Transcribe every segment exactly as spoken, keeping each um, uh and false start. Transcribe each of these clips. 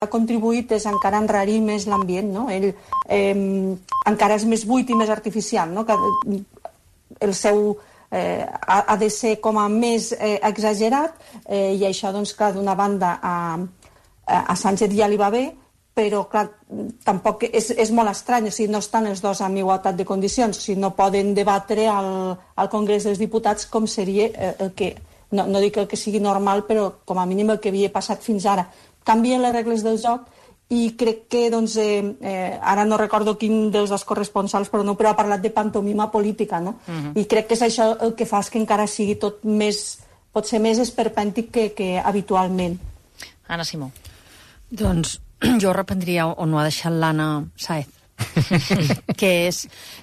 ha contribuït és encara enrarir més l'ambient, no? Ell eh, encara és més buit i més artificial, no? Que el seu eh, ha, ha de ser com a més eh, exagerat eh, i això, doncs, clar, d'una banda a, a Sánchez ja li va bé, però, clar, tampoc és, és molt estrany, o sigui, no estan els dos en igualtat de condicions, o sigui, no poden debatre al, al Congrés dels Diputats com seria eh, el que, no, no dic el que sigui normal, però com a mínim el que havia passat fins ara. Canvien les regles del joc i crec que, doncs, eh, eh, ara no recordo quin dels dos corresponsals, però no, però ha parlat de pantomima política, no? Uh-huh. I crec que és això el que fa que encara sigui tot més, pot ser més esperpèntic que, que habitualment. Anna Simó. Doncs jo reprendria on ho ha deixat l'Anna Sáez, que és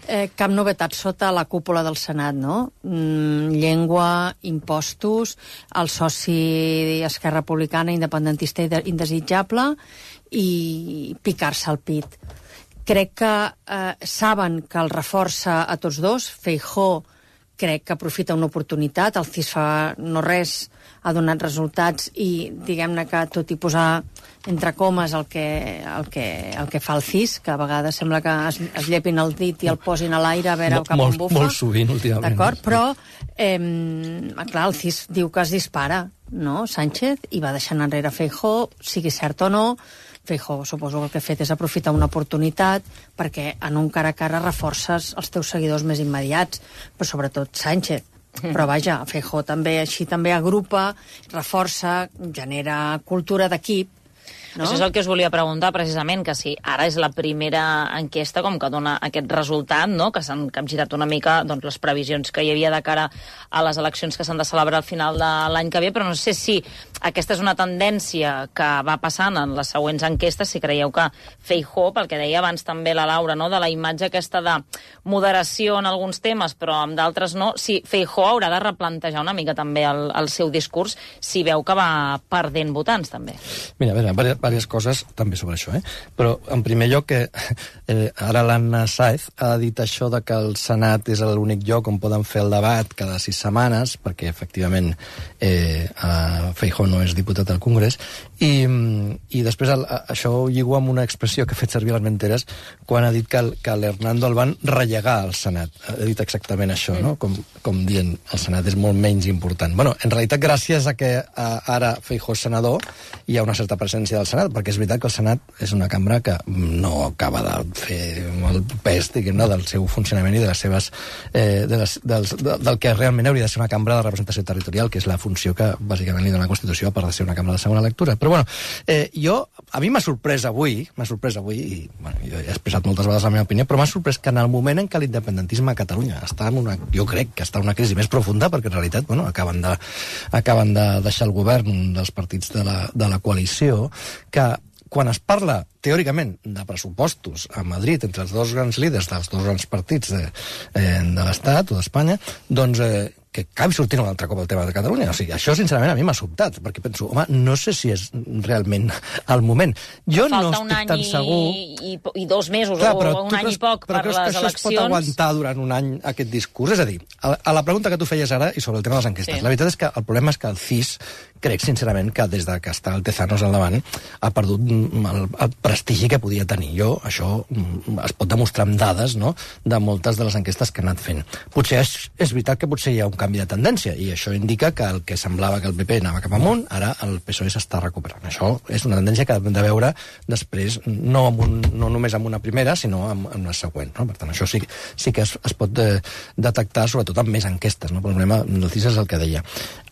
eh, cap novetat sota la cúpula del Senat, no? Mm, llengua, impostos, el soci Esquerra Republicana, independentista i indesitjable, i picar-se al pit. Crec que eh, saben que el reforça a tots dos. Feijóo crec que aprofita una oportunitat, el C I S fa no res, ha donat resultats i diguem-ne que tot i posar entre comes el que, el que, el que fa el C I S, que a vegades sembla que es, es llepin el dit i el posin a l'aire a veure Mol, cap on bufa. Molt sovint, últimament. D'acord, però eh, clar, el C I S diu que es dispara, no? Sánchez, i va deixant enrere Feijóo, sigui cert o no. Feijóo, suposo que el que ha fet és aprofitar una oportunitat perquè en un cara a cara reforces els teus seguidors més immediats, però sobretot Sánchez. Però vaja, Feijóo també així també agrupa, reforça, genera cultura d'equip. No? Això és el que us volia preguntar, precisament, que si ara és la primera enquesta com que dona aquest resultat, no? Que s'han capgirat una mica doncs, les previsions que hi havia de cara a les eleccions que s'han de celebrar al final de l'any que ve, però no sé si aquesta és una tendència que va passant en les següents enquestes, si creieu que Feijóo, pel que deia abans també la Laura, no? De la imatge aquesta de moderació en alguns temes, però en d'altres no, si Feijóo haurà de replantejar una mica també el, el seu discurs, si veu que va perdent votants, també. Mira, a veure, diverses coses també sobre això, eh? Però en primer lloc que eh, ara l'Anna Sáez ha dit això de que el Senat és l'únic lloc on poden fer el debat cada sis setmanes, perquè efectivament eh, Feijóo no és diputat al Congrés, i, i després el, això ho lligo amb una expressió que ha fet servir a les menteres quan ha dit que, el, que l'Hernando el van rellegar al Senat. Ha dit exactament això, no? Com, com dient, el Senat és molt menys important. Bueno, en realitat, gràcies a que a, ara Feijóo és senador, hi ha una certa presència del Senat, perquè és veritat que el Senat és una cambra que no acaba de fer el pes, diguem-ne, del seu funcionament i de les seves, eh, de les, dels, de, del que realment hauria de ser una cambra de representació territorial, que és la funció que bàsicament li dona la Constitució, a part de ser una cambra de segona lectura. Però bueno, eh, jo, a mi m'ha sorprès avui, m'ha sorprès avui, i bueno, jo he expressat moltes vegades la meva opinió, però m'ha sorprès que en el moment en què l'independentisme a Catalunya està en una, jo crec que està en una crisi més profunda, perquè en realitat, bueno, acaben de, acaben de deixar el govern dels partits de la, de la coalició, que quan es parla, teòricament, de pressupostos a Madrid entre els dos grans líders dels dos grans partits de, eh, de l'Estat o d'Espanya, doncs eh, que acabi sortint un altre cop el tema de Catalunya. O sigui, això, sincerament, a mi m'ha sobtat, perquè penso, home, no sé si és realment el moment. Jo Falta no estic tan segur... I, i, i dos mesos, Clar, o un any creus, i poc per les eleccions... Però creus que això es pot aguantar durant un any, aquest discurs? És a dir, a, a la pregunta que tu feies ara, i sobre el tema de les enquestes, sí. La veritat és que el problema és que el C I S, crec, sincerament, que des de que està el Tezanos al davant, ha perdut el, el prestigi que podia tenir. Jo, això es pot demostrar amb dades, no?, de moltes de les enquestes que ha anat fent. Potser és, és veritat que potser hi ha un canvi de tendència, i això indica que el que semblava que el P P anava cap amunt, ara el P S O E s'està recuperant. Això és una tendència que hem de veure després, no, amb un, no només amb una primera, sinó amb, amb una següent. No? Per tant, això sí, sí que es, es pot de, detectar, sobretot amb més enquestes. No? El problema del C I S és el que deia.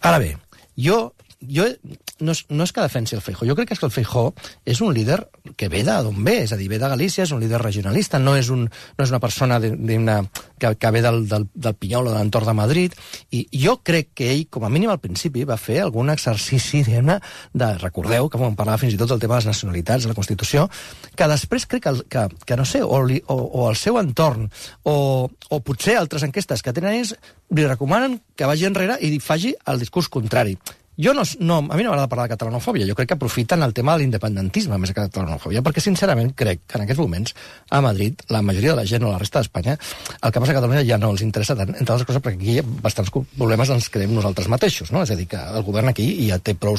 Ara bé, jo... Jo, no, és, no és que defensi el Feijóo, jo crec que és que el Feijóo és un líder que ve d'on ve, és a dir, ve de Galícia, és un líder regionalista, no és, un, no és una persona de, de una, que, que ve del, del, del Pinyol o de l'entorn de Madrid, i jo crec que ell, com a mínim al principi, va fer algun exercici, diguem-ne, de, recordeu, que vam parlar fins i tot del tema de les nacionalitats, de la Constitució, que després crec que, que, que no sé, o, li, o, o el seu entorn, o, o potser altres enquestes que tenen ells, li recomanen que vagi enrere i faci el discurs contrari. jo no, no, a mi no m'agrada parlar de catalanofòbia, jo crec que aprofiten el tema de l'independentisme més que de catalanofòbia, perquè sincerament crec que en aquests moments a Madrid la majoria de la gent o la resta d'Espanya el que passa a Catalunya ja no els interessa tant, entre altres coses perquè aquí hi ha bastants problemes ens creem nosaltres mateixos, no? És a dir, que el govern aquí ja té prou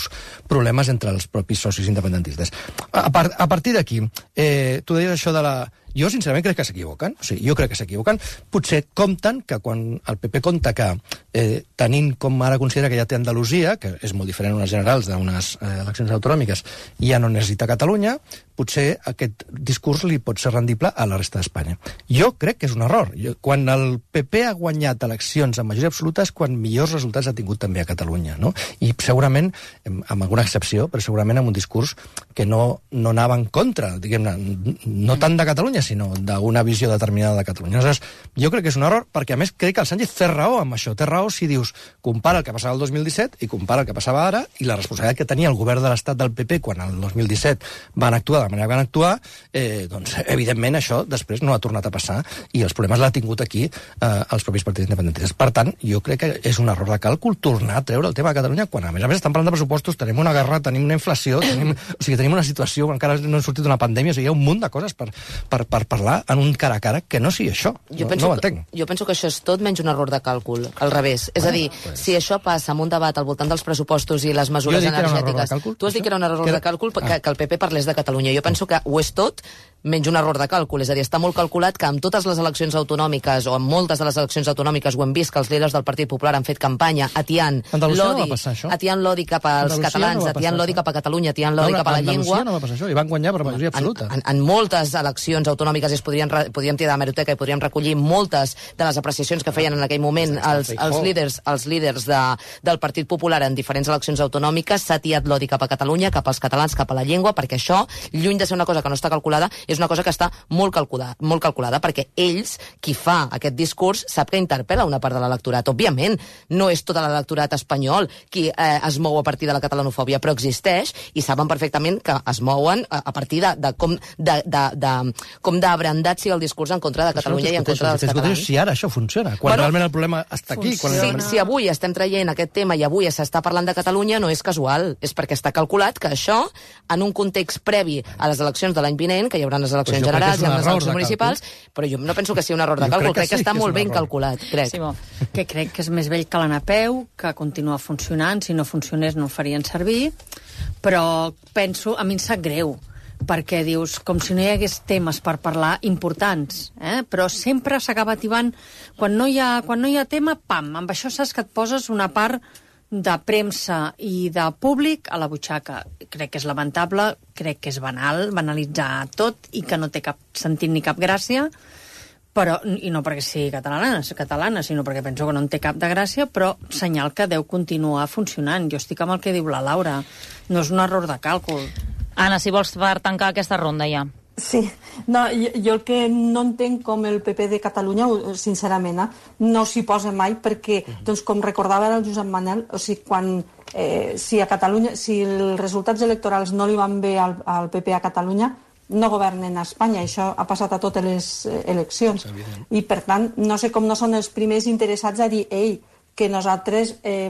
problemes entre els propis socis independentistes. A, part, a partir d'aquí, eh, tu deies això de la... Jo, sincerament, crec que s'equivoquen. O sigui, jo crec que s'equivoquen. Potser compten que quan el P P compta que eh, tenint com ara considera que ja té Andalusia, que és molt diferent unes generals d'unes eh, eleccions autonòmiques, ja no necessita Catalunya, potser aquest discurs li pot ser rendible a la resta d'Espanya. Jo crec que és un error. Jo, quan el P P ha guanyat eleccions en majoria absoluta és quan millors resultats ha tingut també a Catalunya, no? I segurament, amb alguna excepció, però segurament amb un discurs que no, no anava en contra, diguem-ne, no tant de Catalunya, sinó d'una visió determinada de Catalunya. Aleshores, jo crec que és un error, perquè a més crec que el Sánchez té raó amb això. Té raó si dius, compara el que passava el dos mil disset i compara el que passava ara, i la responsabilitat que tenia el govern de l'Estat del P P quan el dos mil disset van actuar de la manera que van actuar, eh, doncs, evidentment, això després no ha tornat a passar, i els problemes l'ha tingut aquí eh, els propis partits independentistes. Per tant, jo crec que és un error de càlcul tornar a treure el tema de Catalunya, quan a més a més estan parlant de pressupostos, tenim una guerra, tenim una inflació, tenim, o sigui, tenim una situació, encara no hem sortit d'una pandèmia, o sigui, hi ha un munt de coses per, per, per parlar en un cara a cara que no sigui això. Jo, no, penso no ho entenc. Que, jo penso que això és tot menys un error de càlcul, al revés. És bueno, a dir, pues... si això passa amb un debat al voltant dels pressupostos i les mesures energètiques... Càlcul, tu has dit que era un error que... de càlcul que, ah. que el P P parlés de Catalunya. Jo penso que ho és tot menys un error de càlcul. És a dir, està molt calculat que amb totes les eleccions autonòmiques o amb moltes de les eleccions autonòmiques ho hem vist que els líders del Partit Popular han fet campanya atiant l'odi no atiant l'odi cap als Andalusia catalans, no atiant l'odi cap a Catalunya, atiant l'odi cap a la llengua. No va passar això, i van guanyar per majoria absoluta. En, en, en moltes eleccions autonòmiques es podrien, podríem tirar de meroteca i podríem recollir moltes de les apreciacions que feien en aquell moment els, els líders, els líders de, del Partit Popular en diferents eleccions autonòmiques. S'ha atiat l'odi cap a Catalunya, cap als catalans, cap a la llengua, perquè això, lluny de ser una cosa que no està calculada, és una cosa que està molt calculada, molt calculada, perquè ells, qui fa aquest discurs, sap que interpel·la una part de l'electorat. Òbviament, no és tot l'electorat espanyol qui eh, es mou a partir de la catalanofòbia, però existeix, i saben perfectament que es mouen a, a partir de, de com de, de, de, com d'abrandat sigui el discurs en contra de Catalunya i en contra dels catalans. Si ara això funciona, quan bueno, realment el problema està aquí. Quan si, realment... si avui estem traient aquest tema i avui s'està parlant de Catalunya, no és casual, és perquè està calculat que això, en un context previ a les eleccions de l'any vinent, que hi haurà les eleccions pues generals i les eleccions municipals, però jo no penso que sigui un error de càlcul, crec que, crec que sí, està que molt ben error. calculat, crec. Sí, que crec que és més vell que l'anapeu, que continua funcionant, si no funcionés no el farien servir, però penso, a mi em sap greu, perquè dius, com si no hi hagués temes per parlar importants, eh? Però sempre s'acaba ativant, quan no, hi ha, quan no hi ha tema, pam, amb això saps que et poses una part de premsa i de públic a la butxaca. Crec que és lamentable, crec que és banal, banalitzar tot i que no té cap sentit ni cap gràcia, però, i no perquè sigui catalana, catalana, sinó perquè penso que no en té cap de gràcia, però senyal que deu continuar funcionant. Jo estic amb el que diu la Laura. No és un error de càlcul. Anna, si vols per tancar aquesta ronda ja. Sí, no, jo, jo el que no entenc com el P P de Catalunya, sincerament, eh, no s'hi posa mai perquè, doncs, com recordava el Josep Manel, o sigui, quan, eh, si a Catalunya, si els resultats electorals no li van bé al, al P P a Catalunya, no governen a Espanya. Això ha passat a totes les eleccions. I, per tant, no sé com no són els primers interessats a dir, ei, que nosaltres eh,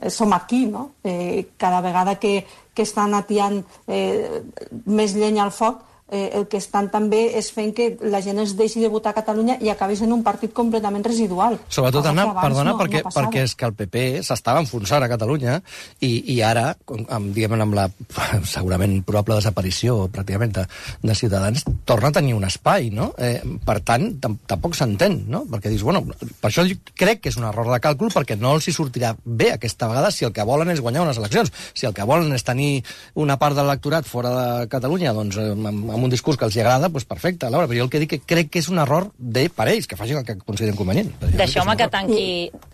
som aquí, no? Eh, cada vegada que, que estan atiant eh, més llenya al foc, eh, el que estan també és fent que la gent es deixi de votar a Catalunya i acabi sent un partit completament residual. Sobretot, Anna, perdona, no, perquè, no perquè és que el P P s'estava enfonsant a Catalunya i, i ara, amb, diguem, amb la segurament probable desaparició pràcticament de, de Ciutadans, torna a tenir un espai, no? Eh, per tant, tampoc s'entén, no? Perquè dius, bueno, per això crec que és un error de càlcul, perquè no els hi sortirà bé aquesta vegada si el que volen és guanyar unes eleccions. Si el que volen és tenir una part de l'electorat fora de Catalunya, doncs amb, amb un discurs que els hi agrada, doncs perfecte, Laura, però jo el que dic que crec que és un error de per ells, que facin el que consideren convenient. Deixeu-me que tanqui...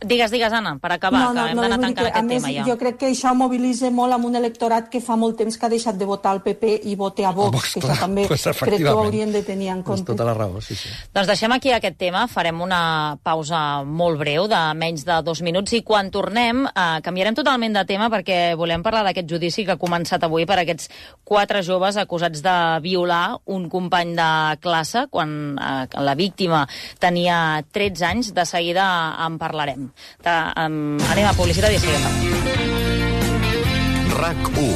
Digues, digues, Anna, per acabar, no, no, que hem no, d'anar tancant aquest més, tema ja. Jo crec que això mobilitza molt amb un electorat que fa molt temps que ha deixat de votar al P P i vote a Vox, Vox que clar, això també pues, crec que ho haurien de tenir en compte. Tota la raó, sí, sí. Doncs deixem aquí aquest tema, farem una pausa molt breu, de menys de dos minuts, i quan tornem eh, canviarem totalment de tema perquè volem parlar d'aquest judici que ha començat avui per aquests quatre joves acusats de violar un company de classe quan eh, la víctima tenia tretze anys. De seguida en parlarem. De, um, anem a publicitat i seguim. RAC u.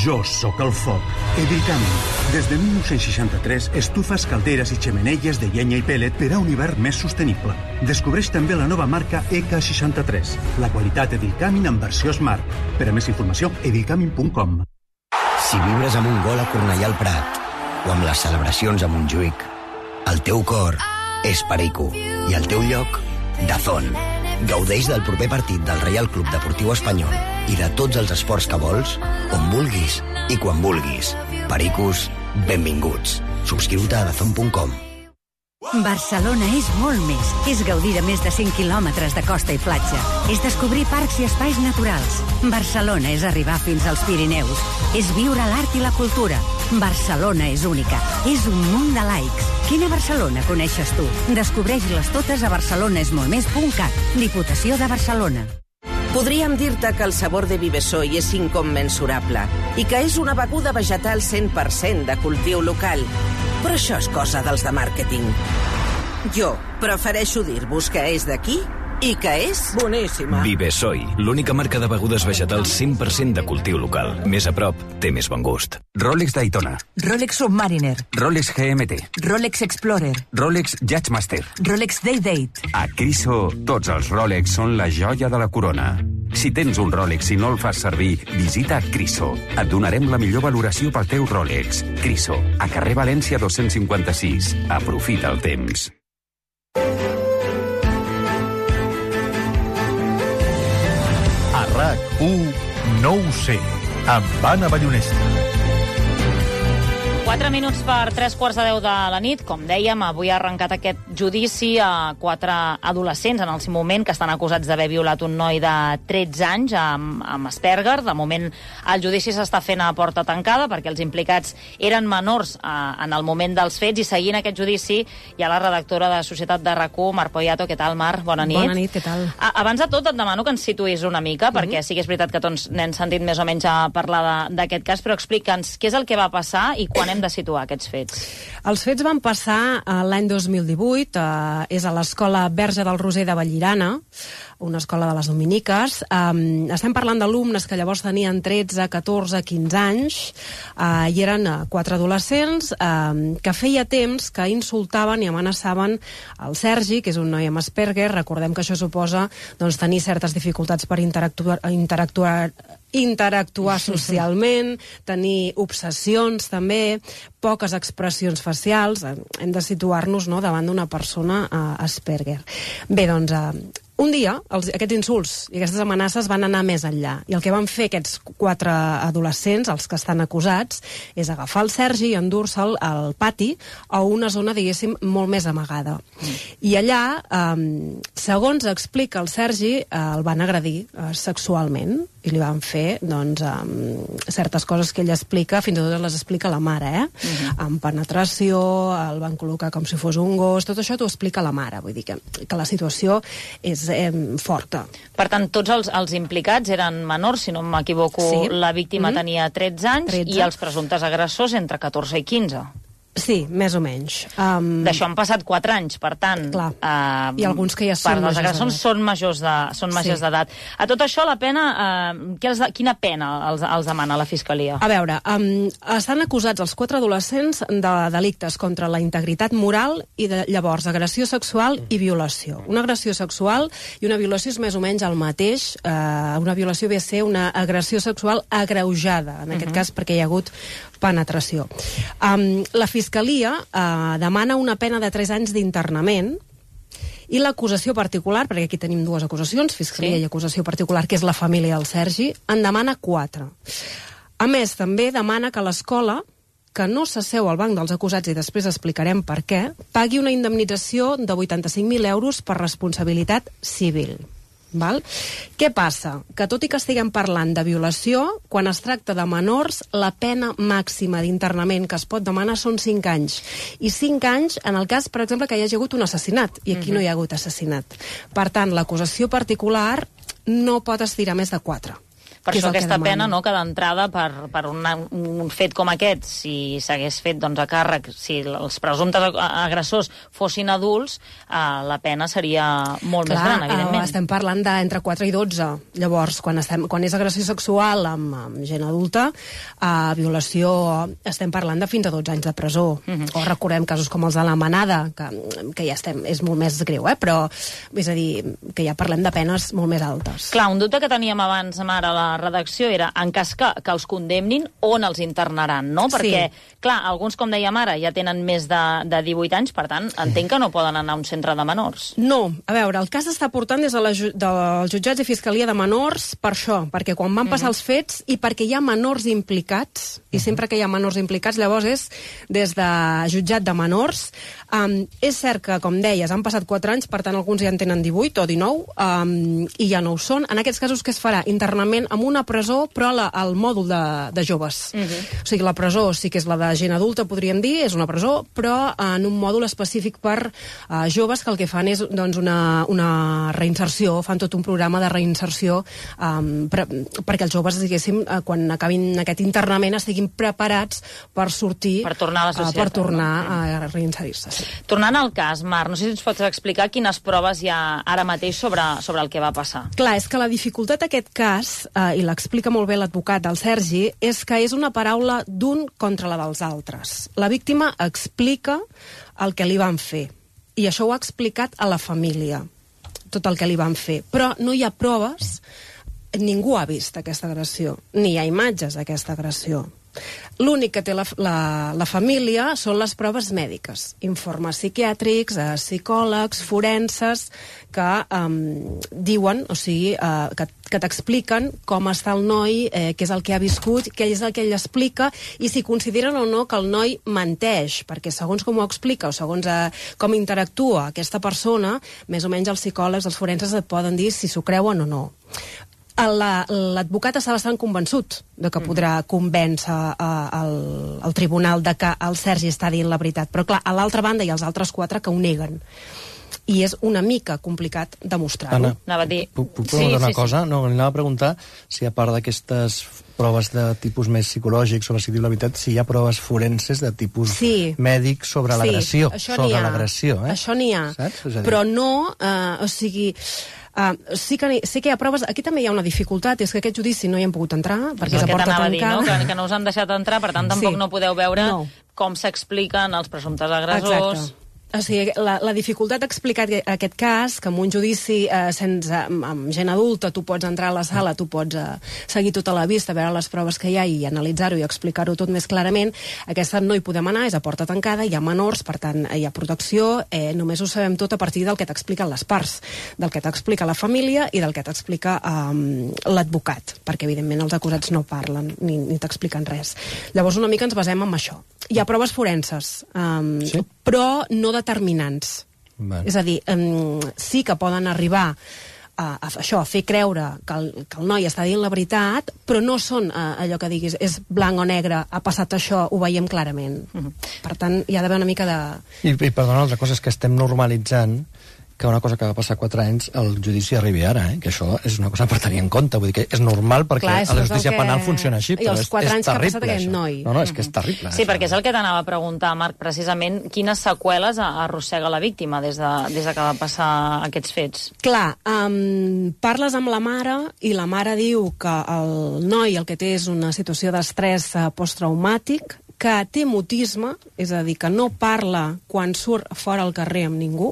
Jo sóc el foc. Edilcamin. Des de mil nou-cents seixanta-tres, estufes, calderes i xemeneies de llenya i pellet per a un hivern més sostenible. Descobreix també la nova marca E K seixanta-tres. La qualitat Edilcamin en versió Smart. Per a més informació, edilcamin punt com. Si vibres amb un gol a Cornellà al Prat o amb les celebracions a Montjuïc, el teu cor és Perico i el teu lloc, Dazón. Gaudeix del proper partit del Reial Club Deportiu Espanyol i de tots els esports que vols, on vulguis i quan vulguis. Pericos, benvinguts. Subscriu-te a dazón punt com. Barcelona és molt més. És gaudir de més de cent quilòmetres de costa i platja. És descobrir parcs i espais naturals. Barcelona és arribar fins als Pirineus. És viure l'art i la cultura. Barcelona és única. És un munt de likes. Quina Barcelona coneixes tu? Descobreix-les totes a barcelonesmoltmés punt cat. Diputació de Barcelona. Podríem dir-te que el sabor de Vivesoy és incommensurable i que és una beguda vegetal cent per cent de cultiu local. Però això és cosa dels de màrqueting. Jo prefereixo dir-vos que és d'aquí i que és boníssima. Vivesoy, l'única marca de begudes vegetals cent per cent de cultiu local. Més a prop, té més bon gust. Rolex Daytona. Rolex Submariner. Rolex G M T. Rolex Explorer. Rolex Judgemaster. Rolex Day-Date. A Criso, tots els Rolex són la joia de la corona. Si tens un Rolex i no el fas servir, visita Criso. Et donarem la millor valoració pel teu Rolex. Criso, a carrer València dos-cents cinquanta-sis. Aprofita el temps. A RAC u, no ho sé, amb Anna Ballonesta. Quatre minuts per tres quarts de deu de la nit. Com dèiem, avui ha arrencat aquest judici a quatre adolescents en el seu moment que estan acusats d'haver violat un noi de tretze anys amb, amb Asperger. De moment, el judici s'està fent a porta tancada perquè els implicats eren menors eh, en el moment dels fets, i seguint aquest judici hi ha la redactora de Societat de RAC u, Mar Poyato. Què tal, Mar? Bona nit. Bona nit, què tal? A, abans de tot, et demano que ens situïs una mica, mm-hmm. perquè sí que és veritat que tots n'hem sentit més o menys a parlar d'aquest cas, però explica'ns què és el que va passar i quan hem de situar aquests fets. Els fets van passar uh, l'any dos mil divuit, uh, és a l'escola Verge del Roser de Vallirana, una escola de les Dominiques. Um, estem parlant d'alumnes que llavors tenien tretze, catorze, quinze anys, uh, i eren uh, quatre adolescents uh, que feia temps que insultaven i amenaçaven el Sergi, que és un noi amb Asperger. Recordem que això suposa doncs, tenir certes dificultats per interactuar, interactuar interactuar socialment, tenir obsessions també, poques expressions facials. Hem de situar-nos, no?, davant d'una persona uh, Asperger. Bé, doncs, uh, un dia els, aquests insults i aquestes amenaces van anar més enllà, i el que van fer aquests quatre adolescents, els que estan acusats, és agafar el Sergi i endur-se'l al pati a una zona, diguéssim, molt més amagada. Mm. I allà, um, segons explica el Sergi, uh, el van agredir uh, sexualment, i li van fer doncs, um, certes coses que ell explica, fins i tot les explica la mare, eh? Uh-huh. Amb penetració, el van col·locar com si fos un gos, tot això t'ho explica la mare, vull dir que, que la situació és eh, forta. Per tant, tots els, els implicats eren menors, si no m'equivoco, sí. La víctima mm-hmm. tenia tretze anys tretze. I els presumptes agressors entre catorze i quinze. Sí, més o menys. Um... D'això han passat quatre anys, per tant... Clar, uh, i alguns que ja són majors d'edat. Són majors de, són majors sí. d'edat. A tot això, la pena... Uh, quina pena els, els demana la Fiscalia? A veure, um, estan acusats els quatre adolescents de delictes contra la integritat moral i de, llavors agressió sexual i violació. Una agressió sexual i una violació és més o menys el mateix. Uh, una violació ve a ser una agressió sexual agreujada, en aquest uh-huh. cas perquè hi ha hagut penetració. Um, la Fiscalia uh, demana una pena de tres anys d'internament, i l'acusació particular, perquè aquí tenim dues acusacions, Fiscalia sí. i acusació particular, que és la família del Sergi, en demana quatre. A més, també demana que l'escola, que no s'asseu al banc dels acusats, i després explicarem per què, pagui una indemnització de vuitanta-cinc mil euros per responsabilitat civil. Val? Què passa? Que tot i que estiguem parlant de violació, quan es tracta de menors, la pena màxima d'internament que es pot demanar són cinc anys. I cinc anys en el cas, per exemple, que hi hagi hagut un assassinat, i aquí uh-huh. no hi ha hagut assassinat. Per tant, l'acusació particular no pot estirar més de quatre. Per això aquesta pena, no, que d'entrada per, per una, un fet com aquest, si s'hagués fet doncs, a càrrec, si els presumptes agressors fossin adults, eh, la pena seria molt Clar, més gran, evidentment. Eh, estem parlant d'entre quatre i dotze. Llavors, quan, estem, quan és agressió sexual amb, amb gent adulta, eh, violació, estem parlant de fins a dotze anys de presó. Uh-huh. O recordem casos com els de la Manada, que, que ja estem, és molt més greu, eh? Però és a dir, que ja parlem de penes molt més altes. Clar, un dubte que teníem abans, Mara, a la redacció era, en cas que, que els condemnin, on els internaran, no? Perquè, sí. clar, alguns, com deia Mara, ja tenen més de, de divuit anys, per tant, entenc que no poden anar a un centre de menors. No, a veure, el cas està portant des de la, dels jutjats de Fiscalia de Menors per això, perquè quan van passar uh-huh. els fets i perquè hi ha menors implicats, i uh-huh. sempre que hi ha menors implicats, llavors és des de jutjat de menors. Um, és cert que, com deies, han passat quatre anys, per tant, alguns ja en tenen divuit o dinou, um, i ja no ho són. En aquests casos, què es farà? Internament en una presó, però la, al mòdul de, de joves. Uh-huh. O sigui, la presó sí que és la de gent adulta, podríem dir, és una presó, però en un mòdul específic per uh, joves, que el que fan és doncs, una, una reinserció, fan tot un programa de reinserció um, per, perquè els joves, diguéssim, uh, quan acabin aquest internament, estiguin preparats per sortir, per tornar a la societat, uh, per tornar no? a reinserir-se. Sí. Tornant al cas, Mar, no sé si ens pots explicar quines proves hi ha ara mateix sobre, sobre el que va passar. Clar, és que la dificultat d'aquest cas, eh, i l'explica molt bé l'advocat del Sergi, és que és una paraula d'un contra la dels altres. La víctima explica el que li van fer, i això ho ha explicat a la família, tot el que li van fer. Però no hi ha proves, ningú ha vist aquesta agressió, ni hi ha imatges d'aquesta agressió. L'únic que té la, la, la família són les proves mèdiques, informes psiquiàtrics, eh, psicòlegs, forenses, que eh, diuen, o sigui, eh, que, que t'expliquen com està el noi, eh, què és el que ha viscut, què és el que ell explica, i si consideren o no que el noi menteix, perquè segons com ho explica o segons eh, com interactua aquesta persona, més o menys els psicòlegs, els forenses et poden dir si s'ho creuen o no. L'advocat està bastant convençut de que podrà convèncer uh, el, el tribunal de que el Sergi està dient la veritat. Però, clar, a l'altra banda hi ha els altres quatre que ho neguen. I és una mica complicat demostrar-ho. Anna, anava a dir... puc, puc preguntar sí, una sí, cosa? Sí. No, anava a preguntar si, a part d'aquestes proves de tipus més psicològic sobre si diu la veritat, si hi ha proves forenses de tipus sí. mèdic sobre sí, l'agressió. Sobre l'agressió, eh? Això n'hi ha. Saps? Però no... Uh, o sigui... Uh, sí, que, sí que hi ha proves. Aquí també hi ha una dificultat, és que aquest judici no hi hem pogut entrar perquè és a porta tancada. Dir, no? que, que no us han deixat entrar, per tant tampoc sí. no podeu veure no. com s'expliquen els presumptes agressors. Exacte. O sigui, la, la dificultat d'explicar aquest cas, que en un judici eh, sense, amb, amb gent adulta tu pots entrar a la sala, tu pots eh, seguir tota la vista, veure les proves que hi ha i analitzar-ho i explicar-ho tot més clarament, aquesta no hi podem anar, és a porta tancada, hi ha menors, per tant hi ha protecció, eh, només ho sabem tot a partir del que t'expliquen les parts, del que t'explica la família i del que t'explica eh, l'advocat, perquè evidentment els acusats no parlen ni, ni t'expliquen res. Llavors una mica ens basem en això. Hi ha proves forenses, eh, sí? però no determinants. Vale. És a dir, um, sí que poden arribar a, a, això, a fer creure que el, que el noi està dient la veritat, però no són uh, allò que diguis és blanc o negre, ha passat això, ho veiem clarament. Uh-huh. Per tant, hi ha d'haver una mica de... I, i perdona, altra cosa és que estem normalitzant que una cosa que va passar quatre anys, el judici arribi ara, eh? Que això és una cosa per tenir en compte. Vull dir que és normal perquè clar, a la justícia que... penal funciona així, però és, és terrible. I els quatre anys que ha passat aquest noi. No, no, és que és terrible. Sí, perquè és el que t'anava a preguntar, Marc, precisament, quines seqüeles arrossega la víctima des de, des de que va passar aquests fets? Clar, um, parles amb la mare i la mare diu que el noi el que té és una situació d'estrès uh, posttraumàtic, que té mutisme, és a dir, que no parla quan surt fora al carrer amb ningú,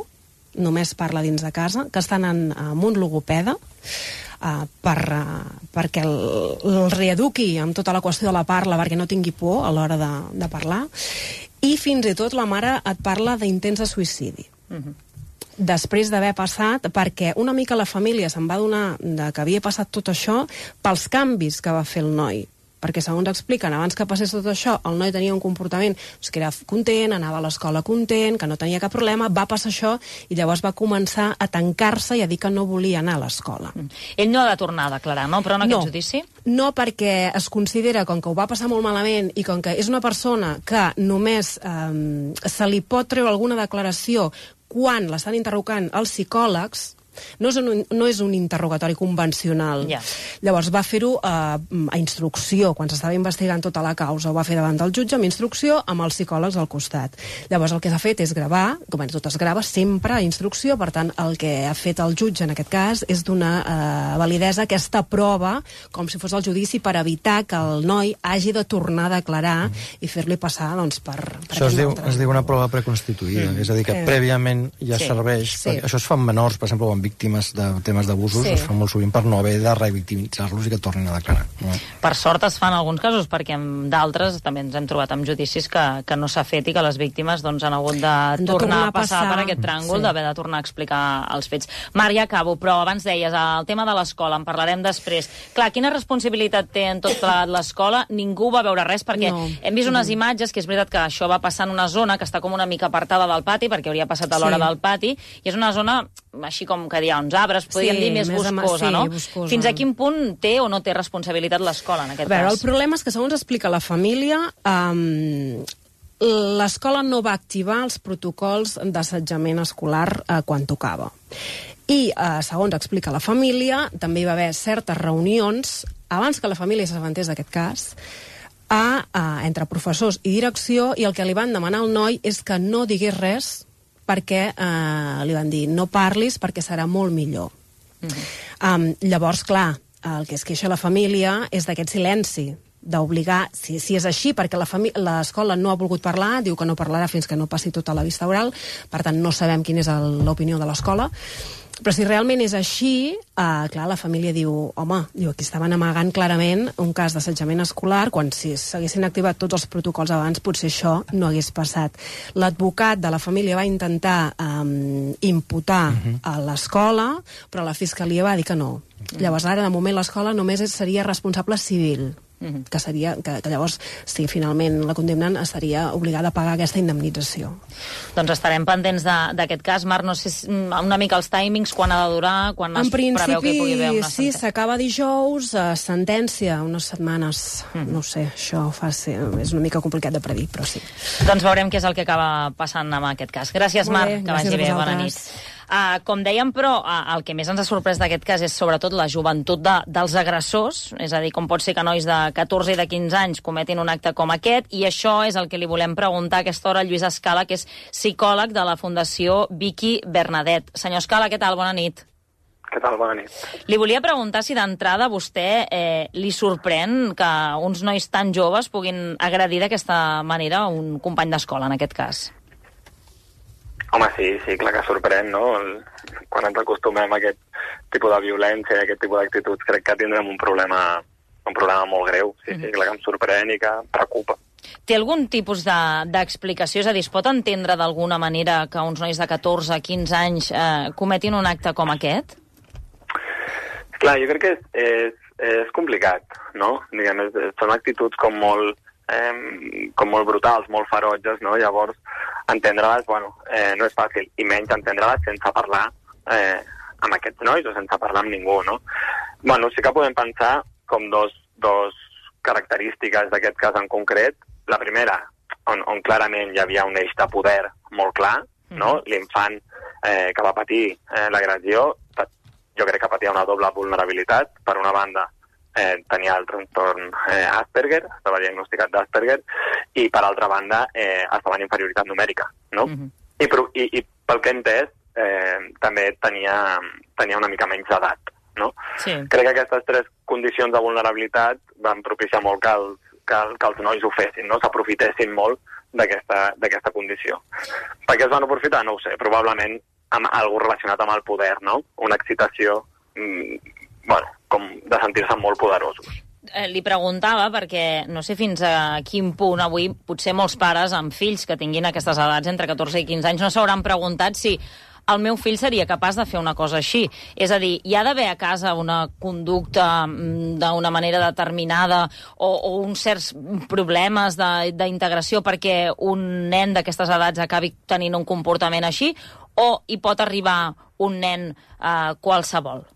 només parla dins de casa, que estan en, amb un logopeda uh, per, uh, perquè el, el reeduqui amb tota la qüestió de la parla, perquè no tingui por a l'hora de, de parlar, i fins i tot la mare et parla d'intents de suïcidi. Uh-huh. Després d'haver passat, perquè una mica la família se'n va adonar de que havia passat tot això pels canvis que va fer el noi. Perquè segons expliquen, abans que passés tot això, el noi tenia un comportament doncs, que era content, anava a l'escola content, que no tenia cap problema, va passar això i llavors va començar a tancar-se i a dir que no volia anar a l'escola. Mm. Ell no ha de tornar a declarar, no? Però en aquest no, judici? No, perquè es considera, com que ho va passar molt malament i com que és una persona que només eh, se li pot treure alguna declaració quan l'estan interrogant els psicòlegs, no és un, no és un interrogatori convencional. Yeah. Llavors va fer-ho a, a instrucció, quan s'estava investigant tota la causa, ho va fer davant del jutge amb instrucció, amb els psicòlegs al costat. Llavors el que s'ha fet és gravar, com tot es grava sempre a instrucció, per tant el que ha fet el jutge en aquest cas és donar eh, validesa a aquesta prova com si fos el judici per evitar que el noi hagi de tornar a declarar mm. i fer-li passar doncs, per, per això es diu, altre. es diu una prova preconstituïda, mm. és a dir, que sí. prèviament ja sí. serveix. Sí. Això es fa en menors, per exemple, o en víctimes de temes d'abusos, sí. es fa molt sovint per no haver de revictimitzar-los i que tornin a declarar. No? Per sort es fa en alguns casos, perquè en d'altres també ens hem trobat amb judicis que, que no s'ha fet i que les víctimes doncs, han hagut de, de tornar, tornar a passar, passar per aquest tràngol, sí. d'haver de tornar a explicar els fets. Marc, ja acabo, però abans deies, el tema de l'escola, en parlarem després. Clar, quina responsabilitat té en tot plegat l'escola? Ningú va veure res, perquè no. hem vist unes imatges, que és veritat que això va passar en una zona que està com una mica apartada del pati, perquè hauria passat a l'hora sí. del pati, i és una zona, així com que hi ha uns arbres, podríem sí, dir més, més boscosa, sí, no? Boscosa. Fins a quin punt té o no té responsabilitat l'escola, en aquest a veure, cas? El problema és que, segons explica la família, um, l'escola no va activar els protocols d'assetjament escolar uh, quan tocava. I, uh, segons explica la família, també hi va haver certes reunions, abans que la família s'assabentés d'aquest cas, a, a, entre professors i direcció, i el que li van demanar al noi és que no digués res, perquè eh, li van dir no parlis perquè serà molt millor. Mm-hmm. um, llavors, clar, el que es queixa la família és d'aquest silenci, d'obligar, si, si és així, perquè l'escola no ha volgut parlar, diu que no parlarà fins que no passi tota la vista oral, per tant no sabem quina és l'opinió de l'escola, però si realment és així, eh, clar, la família diu, home, diu, aquí estaven amagant clarament un cas d'assetjament escolar, quan si s'haguessin activat tots els protocols abans, potser això no hagués passat. L'advocat de la família va intentar eh, imputar uh-huh. a l'escola, però la fiscalia va dir que no. Uh-huh. Llavors, ara, de moment, l'escola només seria responsable civil. Uh-huh. que, seria, que, que llavors, si finalment la condemnen, estaria obligada a pagar aquesta indemnització. Doncs estarem pendents d'aquest cas. Marc, no sé una mica els timings, quan ha de durar, quan en es preveu que hi pugui haver una sentència. Sí, s'acaba dijous, a sentència, unes setmanes, uh-huh. no sé, això fa ser, és una mica complicat de predir, però sí. Doncs veurem què és el que acaba passant amb aquest cas. Gràcies, Marc, que vagi bé, bona nit. Uh, com dèiem, però, uh, el que més ens ha sorprès d'aquest cas és sobretot la joventut de, dels agressors, és a dir, com pot ser que nois de catorze i de quinze anys cometin un acte com aquest, i això és el que li volem preguntar a aquesta hora a Lluís Escala, que és psicòleg de la Fundació Vicky Bernadet. Senyor Escala, què tal? Bona nit. Què tal? Bona nit. Li volia preguntar si d'entrada a vostè eh, li sorprèn que uns nois tan joves puguin agredir d'aquesta manera un company d'escola, en aquest cas. Home, sí, sí, clar que sorprèn, no? El, quan ens acostumem a aquest tipus de violència i a aquest tipus d'actituds, crec que tindrem un problema, un problema molt greu. Sí, sí, clar que em sorprèn i que preocupa. Té algun tipus d'explicació? De, és a dir, es pot entendre d'alguna manera que uns nois de catorze, quinze anys eh, cometin un acte com aquest? Clar, jo crec que és, és, és complicat, no? Diguem, és, són actituds com molt, eh, com molt brutals, molt ferotges, no? Llavors, entendre-les, bueno, eh, no és fàcil, i menys entendre-les sense parlar eh, amb aquests nois o sense parlar amb ningú, no? Bueno, sí que podem pensar com dos, dos característiques d'aquest cas en concret. La primera, on, on clarament hi havia un eix de poder molt clar, no? Mm. L'infant eh, que va patir eh, l'agressió, jo crec que patia una doble vulnerabilitat. Per una banda, eh, tenia el trastorn eh, Asperger, estava diagnosticat d'Asperger, i per altra banda eh, estava en inferioritat numèrica, no? Mm-hmm. I, i, I pel que he entès, eh, també tenia, tenia una mica menys d'edat, no? Sí. Crec que aquestes tres condicions de vulnerabilitat van propiciar molt que els, que, que els nois ho fessin, no? S'aprofitessin molt d'aquesta condició. Per què es van aprofitar? No ho sé, probablement amb algú relacionat amb el poder, no? Una excitació, mmm, bueno, com de sentir-se molt poderosos. Eh, li preguntava perquè no sé fins a quin punt avui potser molts pares amb fills que tinguin aquestes edats entre catorze i quinze anys no s'hauran preguntat si el meu fill seria capaç de fer una cosa així. És a dir, hi ha d'haver a casa una conducta d'una manera determinada o, o uns certs problemes d'integració perquè un nen d'aquestes edats acabi tenint un comportament així, o hi pot arribar un nen eh, qualsevol?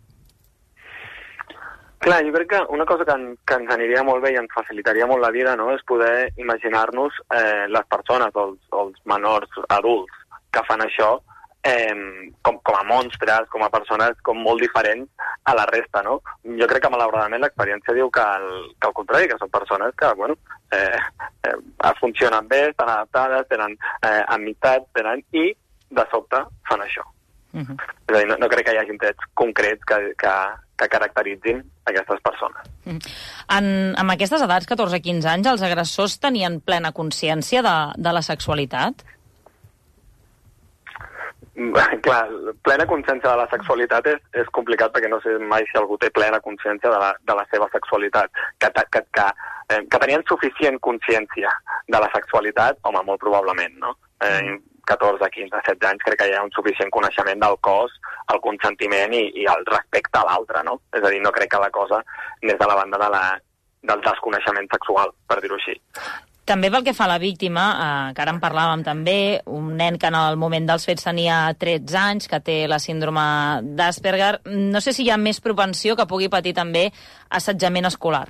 Clar, jo crec que una cosa que, en, que ens aniria molt bé i ens facilitaria molt la vida, no?, és poder imaginar-nos eh, les persones o els, o els menors adults que fan això eh, com, com a monstres, com a persones com molt diferents a la resta, no? Jo crec que malauradament l'experiència diu que el, que el contrari, que són persones que, bueno, eh, eh, funcionen bé, estan adaptades, tenen eh, amistats, tenen, i de sobte fan això. Uh-huh. És a dir, no, no crec que hi hagi trets concrets que, que, que caracteritzin aquestes persones. Uh-huh. En, en aquestes edats, catorze a quinze anys, els agressors tenien plena consciència de, de la sexualitat? Clar, plena consciència de la sexualitat és, és complicat perquè no sé mai si algú té plena consciència de la, de la seva sexualitat. Que, que, que, eh, que tenien suficient consciència de la sexualitat, home, molt probablement, no? Eh, catorze, quinze, setze anys crec que hi ha un suficient coneixement del cos, el consentiment i, i el respecte a l'altre, no? És a dir, no crec que la cosa anés de la banda de la, del desconeixement sexual, per dir-ho així. També pel que fa a la víctima, eh, que ara en parlàvem també, un nen que en el moment dels fets tenia tretze anys, que té la síndrome d'Asperger, no sé si hi ha més propensió que pugui patir també assetjament escolar.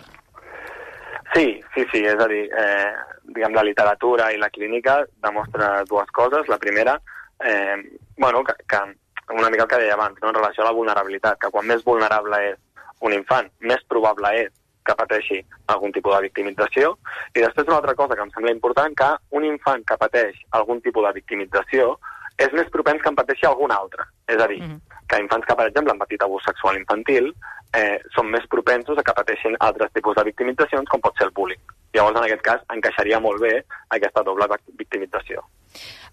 Sí, sí, sí, és a dir, eh, diguem, la literatura i la clínica demostra dues coses. La primera, eh, bueno, que, que una mica el que deia abans, no? En relació a la vulnerabilitat, que quan més vulnerable és un infant, més probable és que pateixi algun tipus de victimització. I després una altra cosa que em sembla important, que un infant que pateix algun tipus de victimització és més propens que en pateixi algun altre. És a dir, mm-hmm. que infants que, per exemple, han patit abús sexual infantil eh, són més propensos a que pateixin altres tipus de victimitzacions, com pot ser el bullying. Llavors, en aquest cas, encaixaria molt bé aquesta doble victimització.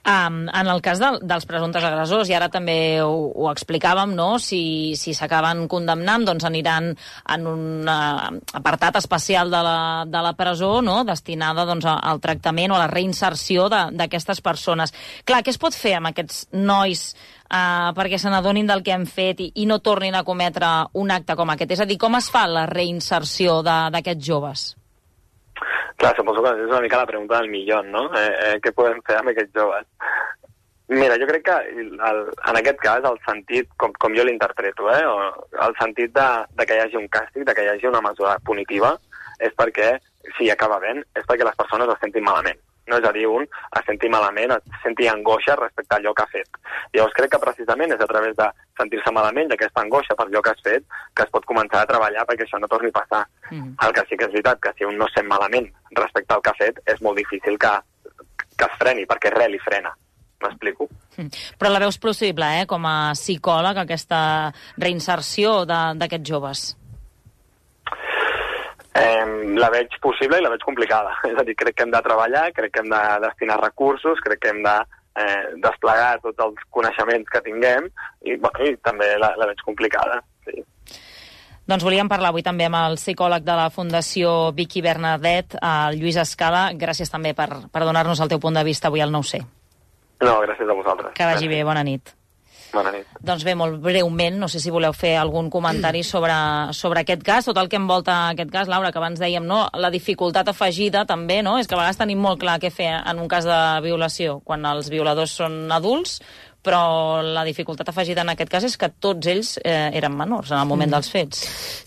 Um, en el cas de, dels presumptes agressors, i ara també ho, ho explicàvem, no? Si, si s'acaben condemnant, doncs aniran en un uh, apartat especial de la, de la presó, no? Destinada doncs, al tractament o a la reinserció d'aquestes persones. Clar, què es pot fer amb aquests nois uh, perquè se n'adonin del que han fet i, i no tornin a cometre un acte com aquest? És a dir, com es fa la reinserció d'aquests joves? Clar, suposo que és una mica la pregunta del milió, no? Eh, eh, què podem fer amb aquests joves? Mira, jo crec que el, en aquest cas el sentit, com, com jo l'interpreto, eh, el sentit de, de que hi hagi un càstig, de que hi hagi una mesura punitiva, és perquè, si acaba bé, és perquè les persones es sentin malament. No? És a dir, un es senti malament, es senti angoixa respecte a allò que ha fet. Llavors crec que precisament és a través de sentir-se malament d'aquesta angoixa per allò que has fet que es pot començar a treballar perquè això no torni a passar. Mm. El que sí que és veritat, que si un no sent malament respecte al que ha fet, és molt difícil que, que es freni, perquè res li frena. M'explico? Mm. Però la veus possible, eh, com a psicòleg, aquesta reinserció d'aquests joves? Eh, la veig possible i la veig complicada. És a dir, crec que hem de treballar, crec que hem de destinar recursos, crec que hem de eh, desplegar tots els coneixements que tinguem i, bueno, i també la, la veig complicada. Sí. Doncs volíem parlar avui també amb el psicòleg de la Fundació Vicky Bernadette, el Lluís Escala. Gràcies també per, per donar-nos el teu punt de vista avui al nou C. No, gràcies a vosaltres. Que vagi bé, bona nit. Bona nit. Doncs bé, molt breument, no sé si voleu fer algun comentari sobre, sobre aquest cas, tot el que envolta aquest cas, Laura, que abans dèiem, no? La dificultat afegida també, no? És que a vegades tenim molt clar què fer en un cas de violació, quan els violadors són adults, però la dificultat afegida en aquest cas és que tots ells eh, eren menors en el moment mm. dels fets.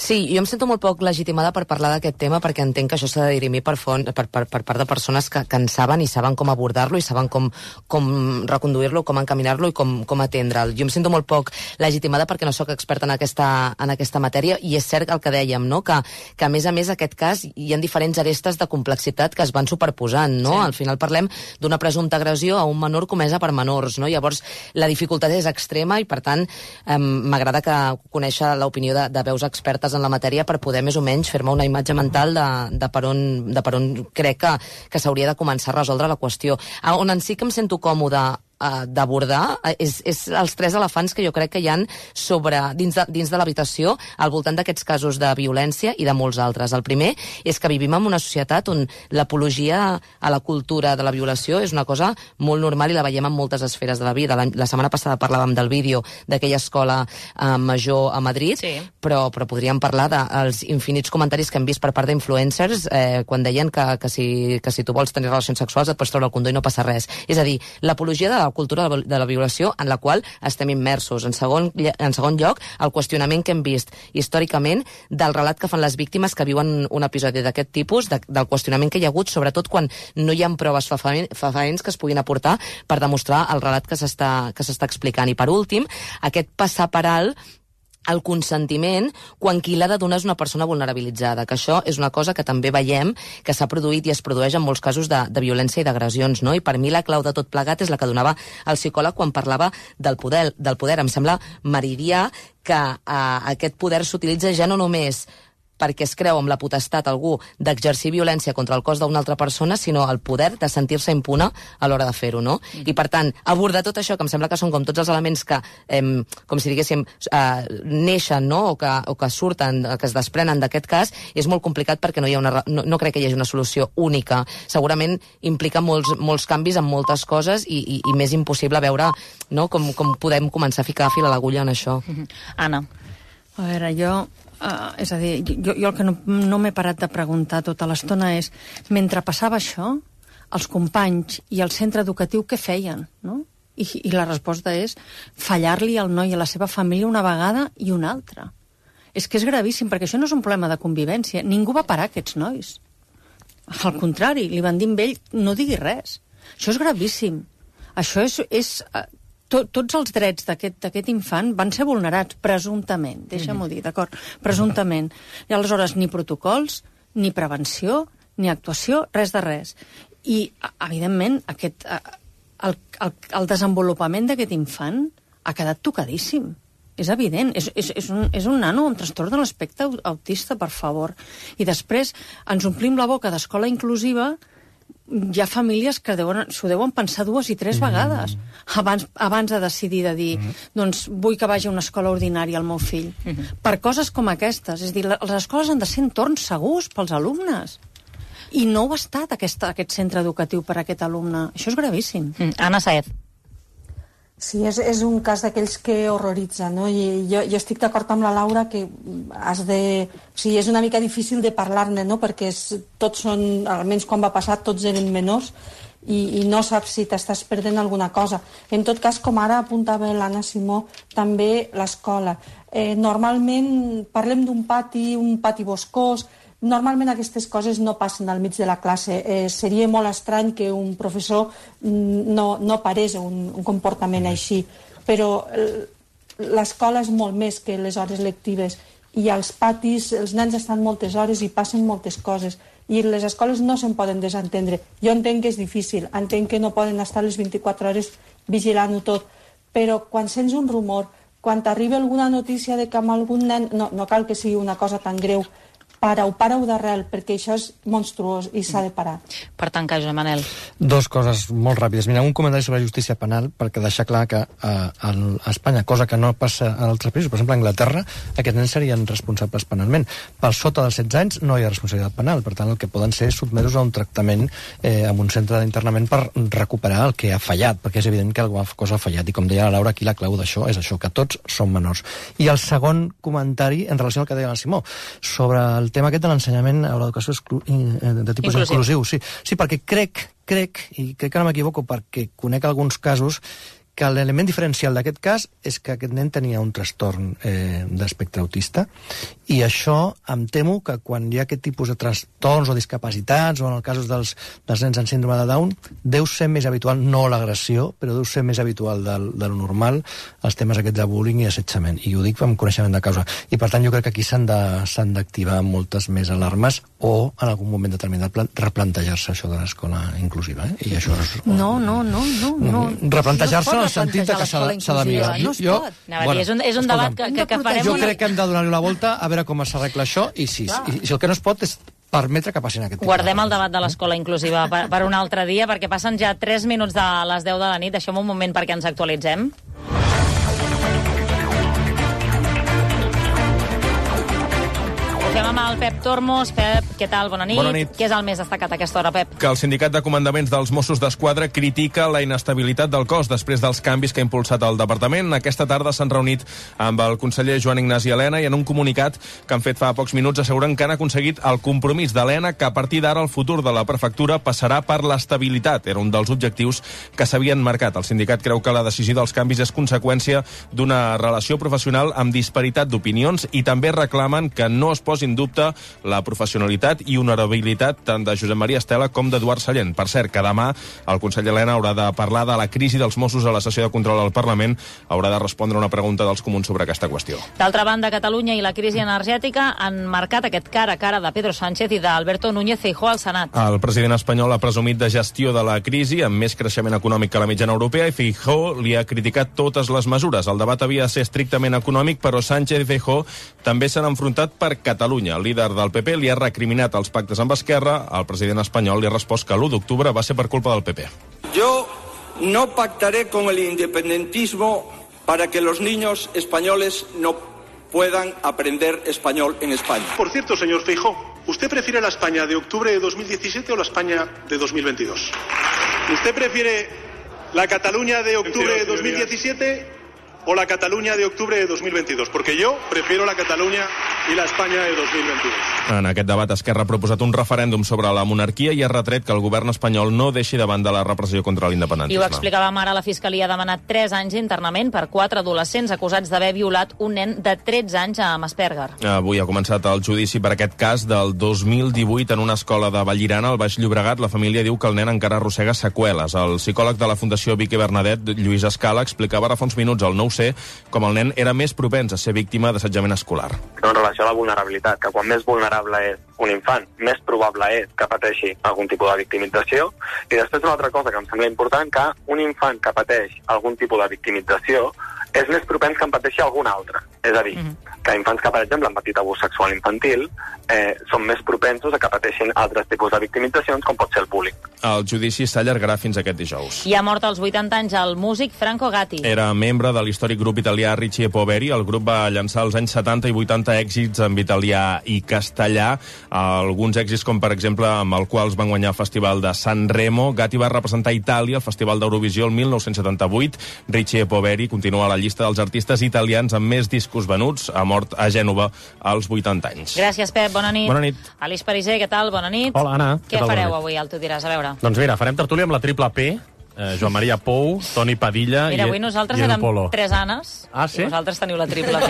Sí, jo em sento molt poc legitimada per parlar d'aquest tema perquè entenc que això s'ha de dirimir per, font, per, per, per part de persones que, que en saben i saben com abordar-lo i saben com, com reconduir-lo, com encaminar-lo i com, com atendre'l. Jo em sento molt poc legitimada perquè no sóc experta en aquesta, en aquesta matèria i és cert el que dèiem, no? que, que a més a més aquest cas hi ha diferents arestes de complexitat que es van superposant. No? Sí. Al final parlem d'una presumpta agressió a un menor comesa per menors. No? Llavors, la dificultat és extrema i, per tant, eh, m'agrada que conèixer l'opinió de, de veus expertes en la matèria per poder més o menys fer-me una imatge mental de, de, per on, de per on crec que, que s'hauria de començar a resoldre la qüestió. On en sí que em sento còmode d'abordar és, és els tres elefants que jo crec que hi han sobre, dins de, dins de l'habitació al voltant d'aquests casos de violència i de molts altres. El primer és que vivim en una societat on l'apologia a la cultura de la violació és una cosa molt normal i la veiem en moltes esferes de la vida. La, la setmana passada parlàvem del vídeo d'aquella escola eh, major a Madrid, sí. però, però podríem parlar dels infinits comentaris que hem vist per part d'influencers eh, quan deien que, que, si, que si tu vols tenir relacions sexuals et pots treure el condó i no passa res. És a dir, l'apologia de la cultura de la violació en la qual estem immersos. En segon, en segon lloc, el qüestionament que hem vist històricament del relat que fan les víctimes que viuen un episodi d'aquest tipus, de, del qüestionament que hi ha hagut, sobretot quan no hi ha proves fefaents que es puguin aportar per demostrar el relat que s'està que s'està explicant. I per últim, aquest passar per alt el consentiment quan qui l'ha de donar és una persona vulnerabilitzada, que això és una cosa que també veiem que s'ha produït i es produeix en molts casos de, de violència i d'agressions, no? I per mi la clau de tot plegat és la que donava el psicòleg quan parlava del poder. Del poder. Em sembla meridià que eh, aquest poder s'utilitza ja no només perquè es creu amb la potestat algú d'exercir violència contra el cos d'una altra persona, sinó el poder de sentir-se impune a l'hora de fer-ho, no? Mm. I, per tant, abordar tot això, que em sembla que són com tots els elements que, eh, com si diguéssim, eh, neixen, no?, o que, o que surten, que es desprenen d'aquest cas, és molt complicat perquè no hi ha una, no, no crec que hi hagi una solució única. Segurament implica molts, molts canvis en moltes coses i, i, i més impossible veure, no?, com, com podem començar a ficar fil a l'agulla en això. Mm-hmm. Anna. A veure, jo... Uh, és a dir, jo, jo el que no, no m'he parat de preguntar tota l'estona és, mentre passava això, els companys i el centre educatiu què feien, no? I, i la resposta és fallar-li al noi i a la seva família una vegada i una altra. És que és gravíssim, perquè això no és un problema de convivència. Ningú va parar aquests nois. Al contrari, li van dir amb ell, no digui res. Això és gravíssim. Això és... és Tot, tots els drets d'aquest infant van ser vulnerats, presumptament, deixa'm-ho dir, d'acord? Presumptament. I aleshores ni protocols, ni prevenció, ni actuació, res de res. I, evidentment, aquest, el, el, el desenvolupament d'aquest infant ha quedat tocadíssim. És evident, és, és, és, un, és un nano amb trastorn de l'espectre autista, per favor. I després ens omplim la boca d'escola inclusiva. Hi ha famílies que s'ho deuen pensar dues i tres vegades abans, abans de decidir de dir mm. doncs vull que vagi a una escola ordinària el meu fill. Mm-hmm. Per coses com aquestes. És a dir, les escoles han de ser entorns segurs pels alumnes. I no ho ha estat aquest, aquest centre educatiu per a aquest alumne. Això és gravíssim. Mm. Anna Saez. Sí, és, és un cas d'aquells que horroritza, no? I jo, jo estic d'acord amb la Laura que has de... O sigui, és una mica difícil de parlar-ne, no? Perquè és, tots són, almenys quan va passar, tots eren menors i, i no saps si t'estàs perdent alguna cosa. En tot cas, com ara apuntava l'Anna Simó, també l'escola. Eh, normalment parlem d'un pati, un pati boscós. Normalment aquestes coses no passen al mig de la classe. Eh, seria molt estrany que un professor no, no parés un, un comportament així. Però l'escola és molt més que les hores lectives. I als patis els nens estan moltes hores i passen moltes coses. I les escoles no se'n poden desentendre. Jo entenc que és difícil, entenc que no poden estar les vint-i-quatre hores vigilant-ho tot. Però quan sents un rumor, quan t'arriba alguna notícia de que amb algun nen... No, no cal que sigui una cosa tan greu. Para-ho, para-ho d'arrel, perquè això és monstruós i s'ha de parar. Per tancar, Josep Manel. Dos coses molt ràpides. Mira, un comentari sobre justícia penal, perquè deixar clar que a, a Espanya, cosa que no passa a altres països, per exemple a Anglaterra, aquests nens serien responsables penalment. Per sota dels setze anys no hi ha responsabilitat penal, per tant el que poden ser sotmesos a un tractament eh, en un centre d'internament per recuperar el que ha fallat, perquè és evident que alguna cosa ha fallat. I com deia la Laura, aquí la clau d'això és això, que tots són menors. I el segon comentari, en relació al que deia la Simó, sobre el tema aquest de l'ensenyament a l'educació de tipus inclusiu. inclusiu sí. sí, perquè crec, crec, i crec que no m'equivoco perquè conec alguns casos, que l'element diferencial d'aquest cas és que aquest nen tenia un trastorn eh, d'espectre autista i això em temo que quan hi ha aquest tipus de trastorns o discapacitats o en el cas dels, dels nens amb síndrome de Down deu ser més habitual, no l'agressió però deu ser més habitual del, de lo normal els temes aquests de bullying i assetjament i ho dic amb coneixement de causa i per tant jo crec que aquí s'han d'activar moltes més alarmes o en algun moment determinat replantejar-se això de l'escola inclusiva eh? I això és... No, no, no, no, no. Replantejar-se en el sentit que s'ha de mirar. No es jo, pot. Bueno, és un, és un debat que, que, que farem... Jo crec que hem de donar-li la volta a veure com s'arregla això i si, i, si el que no es pot és permetre que passin aquest tipus. Guardem el debat de l'escola inclusiva per, per un altre dia, perquè passen ja tres minuts de les deu de la nit. Deixem un moment perquè ens actualitzem. Ho fem amb el Pep Tormos. Pep, què tal? Bona nit. Bona nit. Què és el més destacat a aquesta hora, Pep? Que el Sindicat de Comandaments dels Mossos d'Esquadra critica la inestabilitat del cos després dels canvis que ha impulsat el departament. Aquesta tarda s'han reunit amb el conseller Joan Ignasi Elena i en un comunicat que han fet fa pocs minuts asseguren que han aconseguit el compromís d'Elena que a partir d'ara el futur de la prefectura passarà per l'estabilitat. Era un dels objectius que s'havien marcat. El sindicat creu que la decisió dels canvis és conseqüència d'una relació professional amb disparitat d'opinions i també reclamen que no es posi en dubte la professionalitat i honorabilitat tant de Josep Maria Estela com d'Eduard Sallent. Per cert, que demà el conseller Elena haurà de parlar de la crisi dels Mossos a la sessió de control al Parlament. Haurà de respondre una pregunta dels comuns sobre aquesta qüestió. D'altra banda, Catalunya i la crisi energètica han marcat aquest cara a cara de Pedro Sánchez i d'Alberto Núñez Feijóo al Senat. El president espanyol ha presumit de gestió de la crisi amb més creixement econòmic que la mitjana europea i Feijóo li ha criticat totes les mesures. El debat havia de ser estrictament econòmic, però Sánchez i Feijóo també s'han enfrontat per Catalunya. El líder del P P li ha recriminat els pactes amb Esquerra. El president espanyol li ha respost que l'u d'octubre va ser per culpa del P P. Yo no pactaré con el independentismo para que los niños españoles no puedan aprender español en España. Por cierto, señor Feijóo, ¿usted prefiere la España de octubre de dos mil diecisiete o la España de dos mil veintidós? ¿Usted prefiere la Cataluña de octubre de dos mil diecisiete o la Cataluña de octubre de dos mil veintidós? Porque yo prefiero la Cataluña i la Espanya de dos mil veintidós. En aquest debat, Esquerra ha proposat un referèndum sobre la monarquia i ha retret que el govern espanyol no deixi de banda la repressió contra l'independentisme. I ho explicàvem ara, la Fiscalia ha demanat tres anys d'internament per quatre adolescents acusats d'haver violat un nen de tretze anys amb Asperger. Avui ha començat el judici per aquest cas del dos mil divuit en una escola de Vallirana, al Baix Llobregat. La família diu que el nen encara arrossega seqüeles. El psicòleg de la Fundació Vic i Bernadet, Lluís Escala, explicava ara fa uns minuts al nou C com el nen era més propens a ser víctima d'assetjament escolar. En relació a la vulnerabilitat, que quan més vulnerable és un infant, més probable és que pateixi algun tipus de victimització. I després una altra cosa que em sembla important, que un infant que pateix algun tipus de victimització és més propens que en pateixi algun altre. És a dir, mm-hmm. que infants que, per exemple, han patit abús sexual infantil eh, són més propensos a que pateixin altres tipus de victimitzacions, com pot ser el bullying. El judici s'allargarà fins aquest dijous. I ha mort als vuitanta anys el músic Franco Gatti. Era membre de l'històric grup italià Ricci e Poveri. El grup va llançar als anys setanta i vuitanta èxits en italià i castellà. Alguns èxits, com per exemple, amb el qual es van guanyar el Festival de San Remo. Gatti va representar Itàlia al Festival d'Eurovisió el mil nou-cents setanta-vuit. Ricci e Poveri continua a la llista dels artistes italians amb més discos venuts. Ha mort a Gènova als vuitanta anys. Gràcies, Pep. Bona nit. Bona nit. Alice Pariser, què tal? Bona nit. Hola, Anna. Què, què fareu avui? El tu diràs, a veure. Doncs mira, farem tertúlia amb la triple P, eh, Joan Maria Pou, Toni Padilla mira, i avui nosaltres i érem Polo. tres Anes ah, sí? i vosaltres teniu la triple P.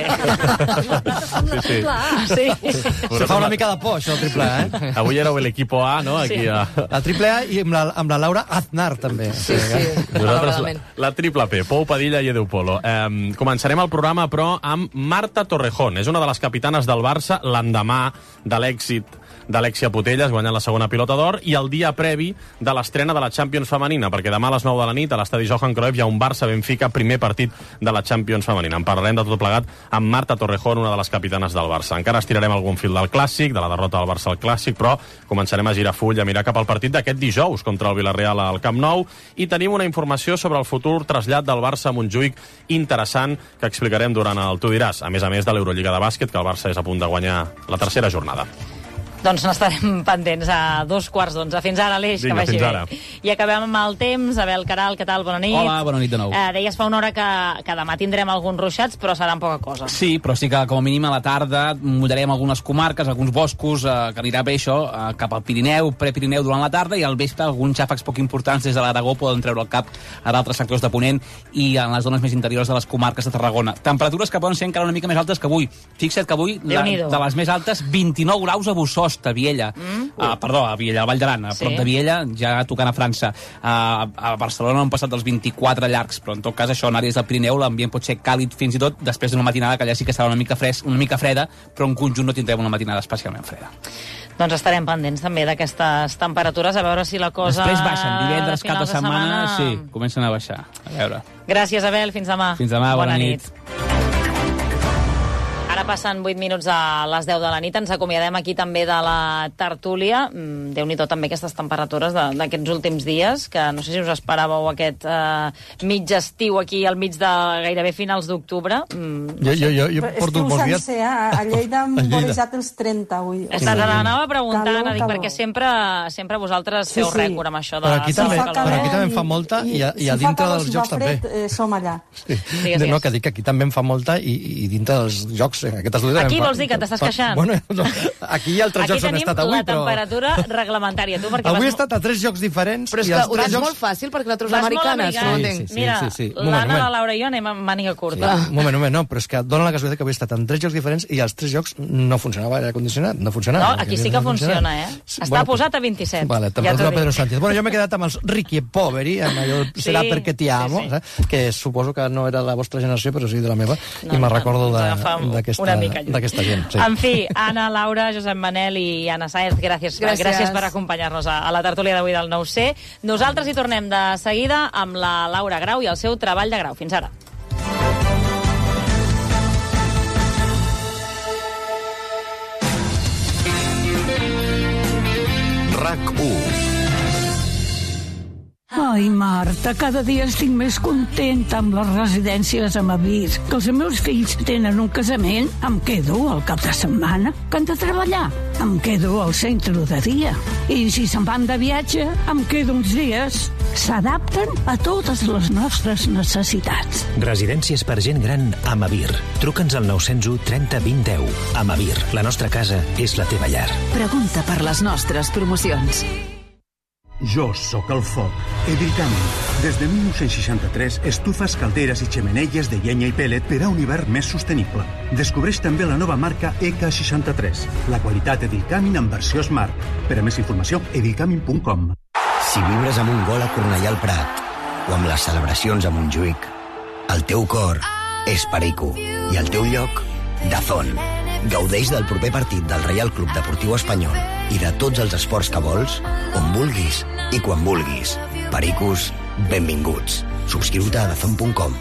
sí, sí. sí. Se fa una mica de por, això, el triple A, eh? Avui éreu l'equipo A, no? Aquí sí. a... La triple A i amb la, amb la Laura Aznar, també. Sí, sí. Nosaltres la, la triple P, Pou, Padilla i Edu Polo. Eh, començarem el programa, però, amb Marta Torrejón. És una de les capitanes del Barça l'endemà de l'èxit d'Alexia Putellas, guanyant la segona pilota d'or, i el dia previ de l'estrena de la Champions femenina, perquè demà a les nou de la nit a l'estadi Johan Cruyff hi ha un Barça-Benfica, primer partit de la Champions femenina. En parlarem de tot plegat amb Marta Torrejón, una de les capitanes del Barça. Encara estirarem algun fil del Clàssic, de la derrota del Barça al Clàssic, però començarem a girar full, a mirar cap al partit d'aquest dijous contra el Villarreal al Camp Nou, i tenim una informació sobre el futur trasllat del Barça a Montjuïc interessant que explicarem durant el Tu diràs, a més a més de l'Eurolliga de bàsquet, que el Barça és a punt de guanyar la tercera jornada. Doncs n'estarem pendents a dos quarts d'onze. Fins ara, Aleix, que vagi bé. I acabem amb el temps. Abel Caral, què tal? Bona nit. Hola, bona nit de nou. Eh, deies fa una hora que, que demà tindrem alguns ruixats, però seran poca cosa. Sí, però sí que com a mínim a la tarda mullarem algunes comarques, alguns boscos, eh, que anirà bé això, eh, cap al Pirineu, prepirineu durant la tarda, i al vespre alguns xàfecs poc importants des de l'Aragó poden treure el cap a d'altres sectors de Ponent i en les zones més interiors de les comarques de Tarragona. Temperatures que poden ser encara una mica més altes que avui. Fixa't que avui, la, de les més altes, vint-i-nou graus a Bossòst, a Viella. Mm. Uh, perdó, a Viella, a Vall d'Aran, a sí. prop de Viella, ja tocant a França. Uh, a Barcelona han passat dels vint-i-quatre llargs, però en tot cas això en àrees del Pirineu l'ambient pot ser càlid fins i tot després d'una matinada que allà sí que serà una mica, fres, una mica freda, però en conjunt no tindrem una matinada especialment freda. Doncs estarem pendents també d'aquestes temperatures, a veure si la cosa... Després baixen, divendres, cap de setmana, setmana, sí, comencen a baixar. A veure. Gràcies, Abel, fins demà. Fins demà, bona, bona nit. nit. Ara Ara passen vuit minuts a les deu de la nit. Ens acomiadem aquí també de la tertúlia. Déu-n'hi-do també aquestes temperatures d'aquests últims dies, que no sé si us esperàveu aquest eh, mig estiu aquí al mig de gairebé finals d'octubre. Mm, no jo, jo, jo, jo porto estiu molts dies... sencer, eh? A Lleida hem vorejat els trenta avui. Sí, sí. Anava preguntant, dic, perquè sempre, sempre vosaltres feu sí, sí. rècord amb això de... Però aquí també, però aquí també en fa molta i, i, i a dintre dels jocs també. Eh, som allà. Sí. Digues, no, que dic que aquí també en fa molta i, i dintre dels jocs... Aquí vols dir que t'estàs queixant? Bueno, no, aquí hi ha altres jocs on he estat avui, però... Aquí tenim la temperatura reglamentària. Tu, avui vas... he estat a tres jocs diferents. Però és que ho tens jocs... molt fàcil, perquè la treus americana. Sí, sí, sí, Mira, sí, sí. l'Anna, la Laura i jo anem amb màniga curta. Sí. Un moment, un moment, no, però és que dona la casualitat que avui he estat en tres jocs diferents i els tres jocs no funcionava l'aire condicionat, no funcionava. No, aquí sí que no funciona, eh? Està bueno, posat a vint-i-set. Vale, temperatura ja Pedro Sánchez. Bueno, jo m'he quedat amb els Ricky e Poveri, amb allò sí, serà perquè t'hi amo, sí, sí. que suposo que no era la vostra generació, però sí de la meva, no, i me'n recordo d'aquesta d'aquesta gent. Sí. En fi, Anna, Laura, Josep Manel i Anna Sáenz, gràcies, gràcies. gràcies per acompanyar-nos a, a la tertúlia d'avui del nou C. Nosaltres hi tornem de seguida amb la Laura Grau i el seu treball de grau. Fins ara. RAC u. Ai, Marta, cada dia estic més contenta amb les residències amb avís. Que els meus fills tenen un casament, em quedo al cap de setmana. Que han de treballar, em quedo al centre de dia. I si se'n van de viatge, em quedo uns dies. S'adapten a totes les nostres necessitats. Residències per gent gran a Amavir. Truca'ns al nou zero u trenta vint deu. Amavir, la nostra casa és la teva llar. Pregunta per les nostres promocions. Jo sóc el foc. Edircami. Des de dinou seixanta-tres, estufes, calderes i xemeneies de llenya i pèl·let per a un hivern més sostenible. Descobreix també la nova marca E K seixanta-tres. La qualitat Edircamin en versió Smart. Per a més informació, edircamin punt com. Si vibres amb un gol a Cornellà al Prat o amb les celebracions a Montjuïc, el teu cor és Perico i el teu lloc, Dazón. Gaudeix del proper partit del Reial Club Deportiu Espanyol i de tots els esports que vols, on vulguis i quan vulguis. Pericos, benvinguts. Subscriu-te a dazón punt com.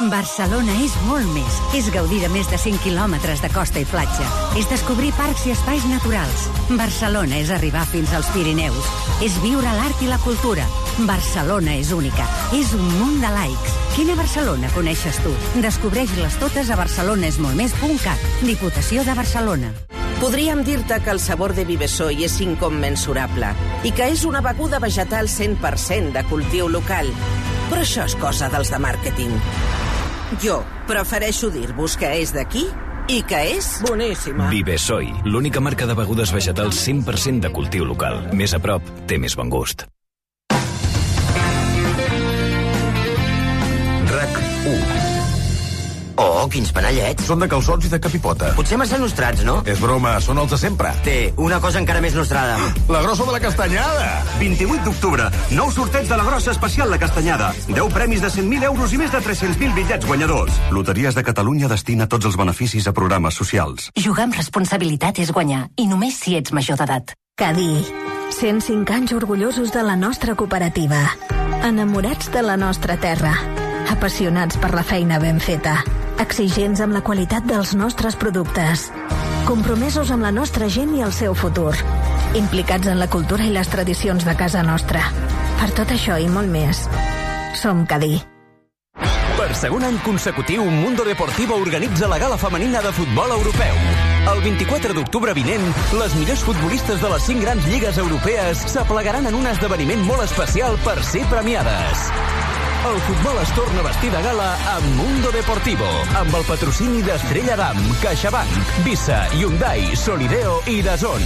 Barcelona és molt més. És gaudir de més de cent quilòmetres de costa i platja. És descobrir parcs i espais naturals. Barcelona és arribar fins als Pirineus. És viure l'art i la cultura. Barcelona és única. És un munt de laics. Quina Barcelona coneixes tu? Descobreix-les totes a barcelonesmoltmés punt cat. Diputació de Barcelona. Podríem dir-te que el sabor de Vivesoy és incommensurable i que és una beguda vegetal cent per cent de cultiu local. Però això és cosa dels de màrqueting. Jo prefereixo dir-vos que és d'aquí i que és boníssima. Vivesoy, l'única marca de begudes vegetals cent per cent de cultiu local. Més a prop, té més bon gust. RAC u. Oh, quins panellets. Són de calçots i de capipota. Potser massa nostrats, no? És broma, són els de sempre. Té, una cosa encara més nostrada. La grossa de la castanyada. vint-i-vuit d'octubre, nou sorteig de la grossa especial La Castanyada. deu premis de cent mil euros i més de tres-cents mil bitllets guanyadors. Loteries de Catalunya destina tots els beneficis a programes socials. Jugar amb responsabilitat és guanyar, i només si ets major d'edat. Cadí. cent cinc anys orgullosos de la nostra cooperativa. Enamorats de la nostra terra. Apassionats per la feina ben feta. Exigents amb la qualitat dels nostres productes. Compromesos amb la nostra gent i el seu futur. Implicats en la cultura i les tradicions de casa nostra. Per tot això i molt més, som Cadí. Per segon any consecutiu, Mundo Deportivo organitza la gala femenina de futbol europeu. El vint-i-quatre d'octubre vinent, les millors futbolistes de les cinc grans lligues europees s'aplegaran en un esdeveniment molt especial per ser premiades. El futbol es torna a vestir de gala amb Mundo Deportivo, amb el patrocini d'Estrella Damm, CaixaBank, Visa, Hyundai, Solideo i DAZN.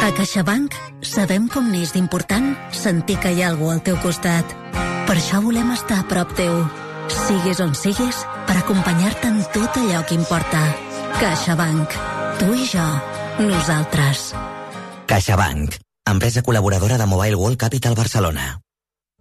A CaixaBank sabem com n'és d'important sentir que hi ha algú al teu costat. Per això volem estar a prop teu, siguis on siguis, per acompanyar-te en tot allò que importa. CaixaBank. Tu i jo. Nosaltres. CaixaBank. Empresa col·laboradora de Mobile World Capital Barcelona.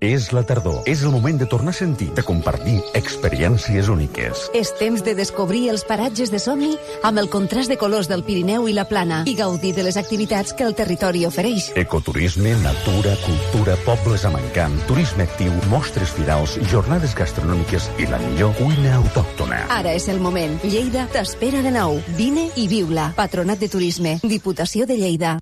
És la tardor. És el moment de tornar a sentir, de compartir experiències úniques. És temps de descobrir els paratges de somni amb el contrast de colors del Pirineu i la Plana i gaudir de les activitats que el territori ofereix. Ecoturisme, natura, cultura, pobles amb encant, turisme actiu, mostres firals, jornades gastronòmiques i la millor cuina autòctona. Ara és el moment. Lleida t'espera de nou. Vine i viu-la. Patronat de Turisme. Diputació de Lleida.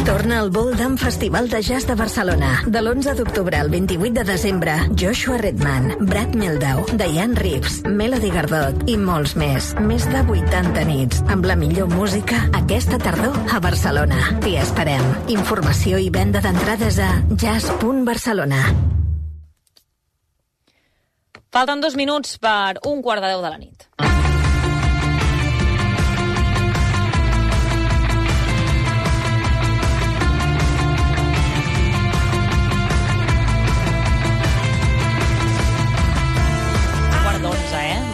Torna al Boldam Festival de Jazz de Barcelona. De l'onze d'octubre al vint-i-vuit de desembre, Joshua Redman, Brad Mehldau, Diane Reeves, Melody Gardot i molts més. Més de vuitanta nits, amb la millor música aquesta tardor a Barcelona. T'hi esperem. Informació i venda d'entrades a jazz punt barcelona. Falten dos minuts per un quart de deu de la nit.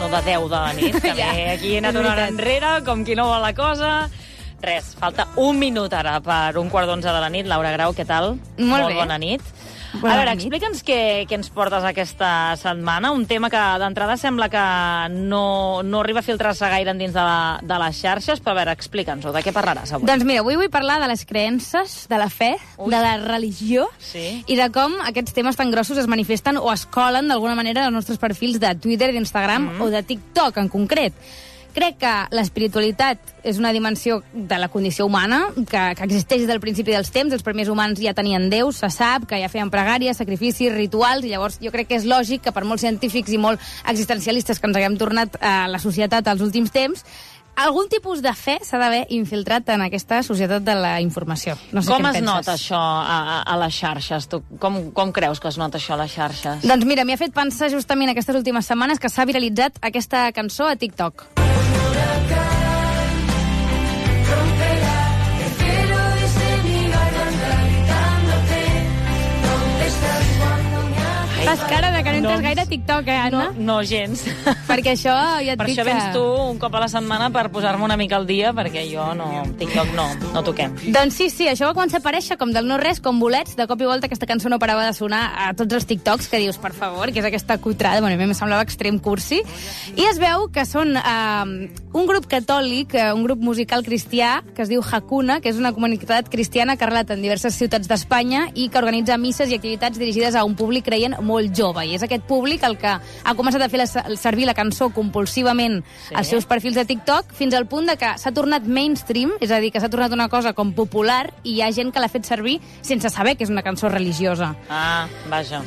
De deu de la nit, que ja. Aquí he anat una hora enrere, com qui no vol la cosa. Res, falta un minut ara per un quart d'onze de la nit. Laura Grau, què tal? Molt, Molt bé. bona nit. Bona a veure, nit. explica'ns què, què ens portes aquesta setmana. Un tema que d'entrada sembla que no, no arriba a filtrar-se gaire dins de, la, de les xarxes, però a veure, explica'ns-ho. De què parlaràs avui? Doncs mira, avui vull parlar de les creences, de la fe, Ui. de la religió sí. i de com aquests temes tan grossos es manifesten o es colen d'alguna manera als nostres perfils de Twitter, d'Instagram mm. o de TikTok en concret. Crec que l'espiritualitat és una dimensió de la condició humana que, que existeix des del principi dels temps. Els primers humans ja tenien déus, se sap, que ja feien pregàries, sacrificis, rituals, i llavors jo crec que és lògic que per molts científics i molt existencialistes que ens haguem tornat a la societat als últims temps, algun tipus de fe s'ha d'haver infiltrat en aquesta societat de la informació. No sé com què es penses. nota això a, a les xarxes? Tu, com, com creus que es nota això a les xarxes? Doncs mira, m'hi ha fet pensar justament aquestes últimes setmanes que s'ha viralitzat aquesta cançó a TikTok. Fas cara de que no entres no, gaire a TikTok, eh, Anna? No, no gens. Perquè això ja et per dic això que... vens tu un cop a la setmana per posar-me una mica al dia, perquè jo no, TikTok no, no toquem. Doncs sí, sí, això va començar a aparèixer com del no-res, com bolets, de cop i volta aquesta cançó no parava de sonar a tots els TikToks, que dius, per favor, que és aquesta cutrada, bueno, a mi em semblava extrem cursi, i es veu que són eh, un grup catòlic, un grup musical cristià, que es diu Hakuna, que és una comunitat cristiana que arrelat en diverses ciutats d'Espanya i que organitza misses i activitats dirigides a un públic creient molt jove, i és aquest públic el que ha començat a fer la, servir la cançó compulsivament sí. als seus perfils de TikTok, fins al punt de que s'ha tornat mainstream, és a dir, que s'ha tornat una cosa com popular, i hi ha gent que l'ha fet servir sense saber que és una cançó religiosa. Ah, vaja.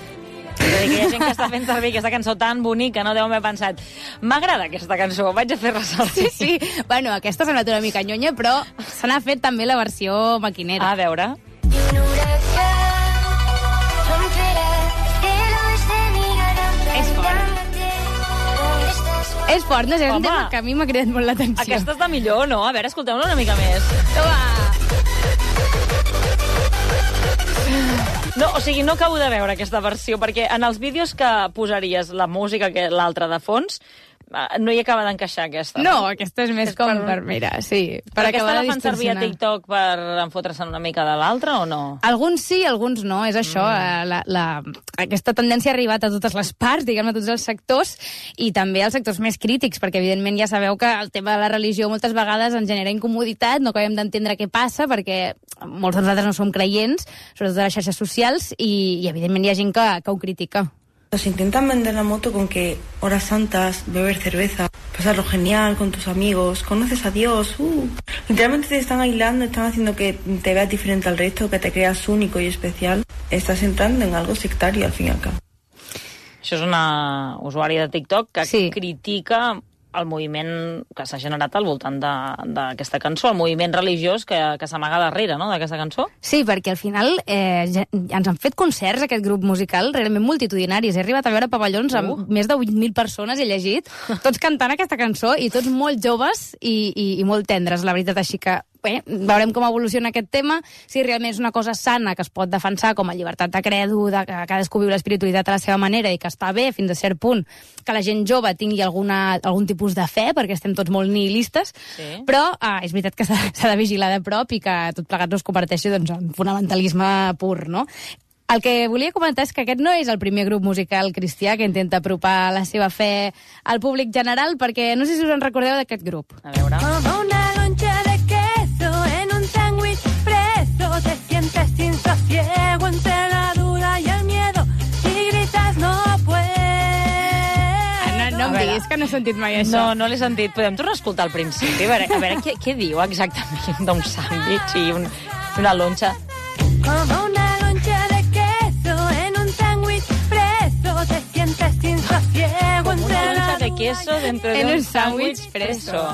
És a dir, que hi ha gent que està fent servir aquesta cançó tan bonica, no deu haver pensat, m'agrada aquesta cançó, vaig a fer ressaltar. Sí, sí. Bueno, aquesta s'ha anat una mica nyonya, però se n'ha fet també la versió maquinera. A veure. És fort, no sé, és un tema que a mi m'ha cridat molt l'atenció. Aquesta és de millor, no? A veure, escolteu-la una mica més. Toma! No, o sigui, no acabo de veure aquesta versió, perquè en els vídeos que posaries la música, que l'altra de fons, no hi acaba d'encaixar aquesta. No, aquesta és més és com per... per mira, sí. Per aquesta la fan servir a TikTok per enfotre-se'n una mica de l'altra o no? Alguns sí, alguns no, és això. Mm. La, la, aquesta tendència ha arribat a totes les parts, diguem-ne, a tots els sectors, i també als sectors més crítics, perquè evidentment ja sabeu que el tema de la religió moltes vegades ens genera incomoditat, no acabem d'entendre què passa, perquè molts de nosaltres no som creients, sobretot a les xarxes socials, i, i evidentment hi ha gent que, que ho critica. Nos intentan vender la moto con que horas santas, beber cerveza, pasarlo genial con tus amigos, conoces a Dios, uh. Literalmente te están aislando, están haciendo que te veas diferente al resto, que te creas único y especial. Estás entrando en algo sectario, al fin y al cabo. Això és una usuària de TikTok que sí. critica el moviment que s'ha generat al voltant d'aquesta cançó, el moviment religiós que, que s'amaga darrere, no?, d'aquesta cançó. Sí, perquè al final eh, ja, ens han fet concerts, aquest grup musical, realment multitudinaris. He arribat a veure pavellons uh. amb més de vuit mil persones, he llegit, tots cantant aquesta cançó, i tots molt joves i, i, i molt tendres, la veritat, així que bé, veurem com evoluciona aquest tema, si realment és una cosa sana que es pot defensar com a llibertat de credo, de que cadascú viu l'espiritualitat a la seva manera i que està bé fins a cert punt que la gent jove tingui alguna, algun tipus de fe, perquè estem tots molt nihilistes, sí. però ah, és veritat que s'ha de vigilar de prop i que tot plegat no es converteixi doncs, en fonamentalisme pur, no? El que volia comentar és que aquest no és el primer grup musical cristià que intenta apropar la seva fe al públic general, perquè no sé si us en recordeu d'aquest grup. A veure... Como una loncha de queso en un sándwich preso, te sientes sin sosiego entre la duda y el miedo y gritas no puedo. No, no em diguis que no he sentit mai això. No, no l'he sentit. Podem tornar a escoltar al principi? A veure, a veure què, què diu exactament d'un sàndwich i un, una lonxa? Como una loncha de queso en un sándwich preso, te sientes sin sosiego entre la Una lonxa de queso dentro En d'un un sàndwich sàndwich preso.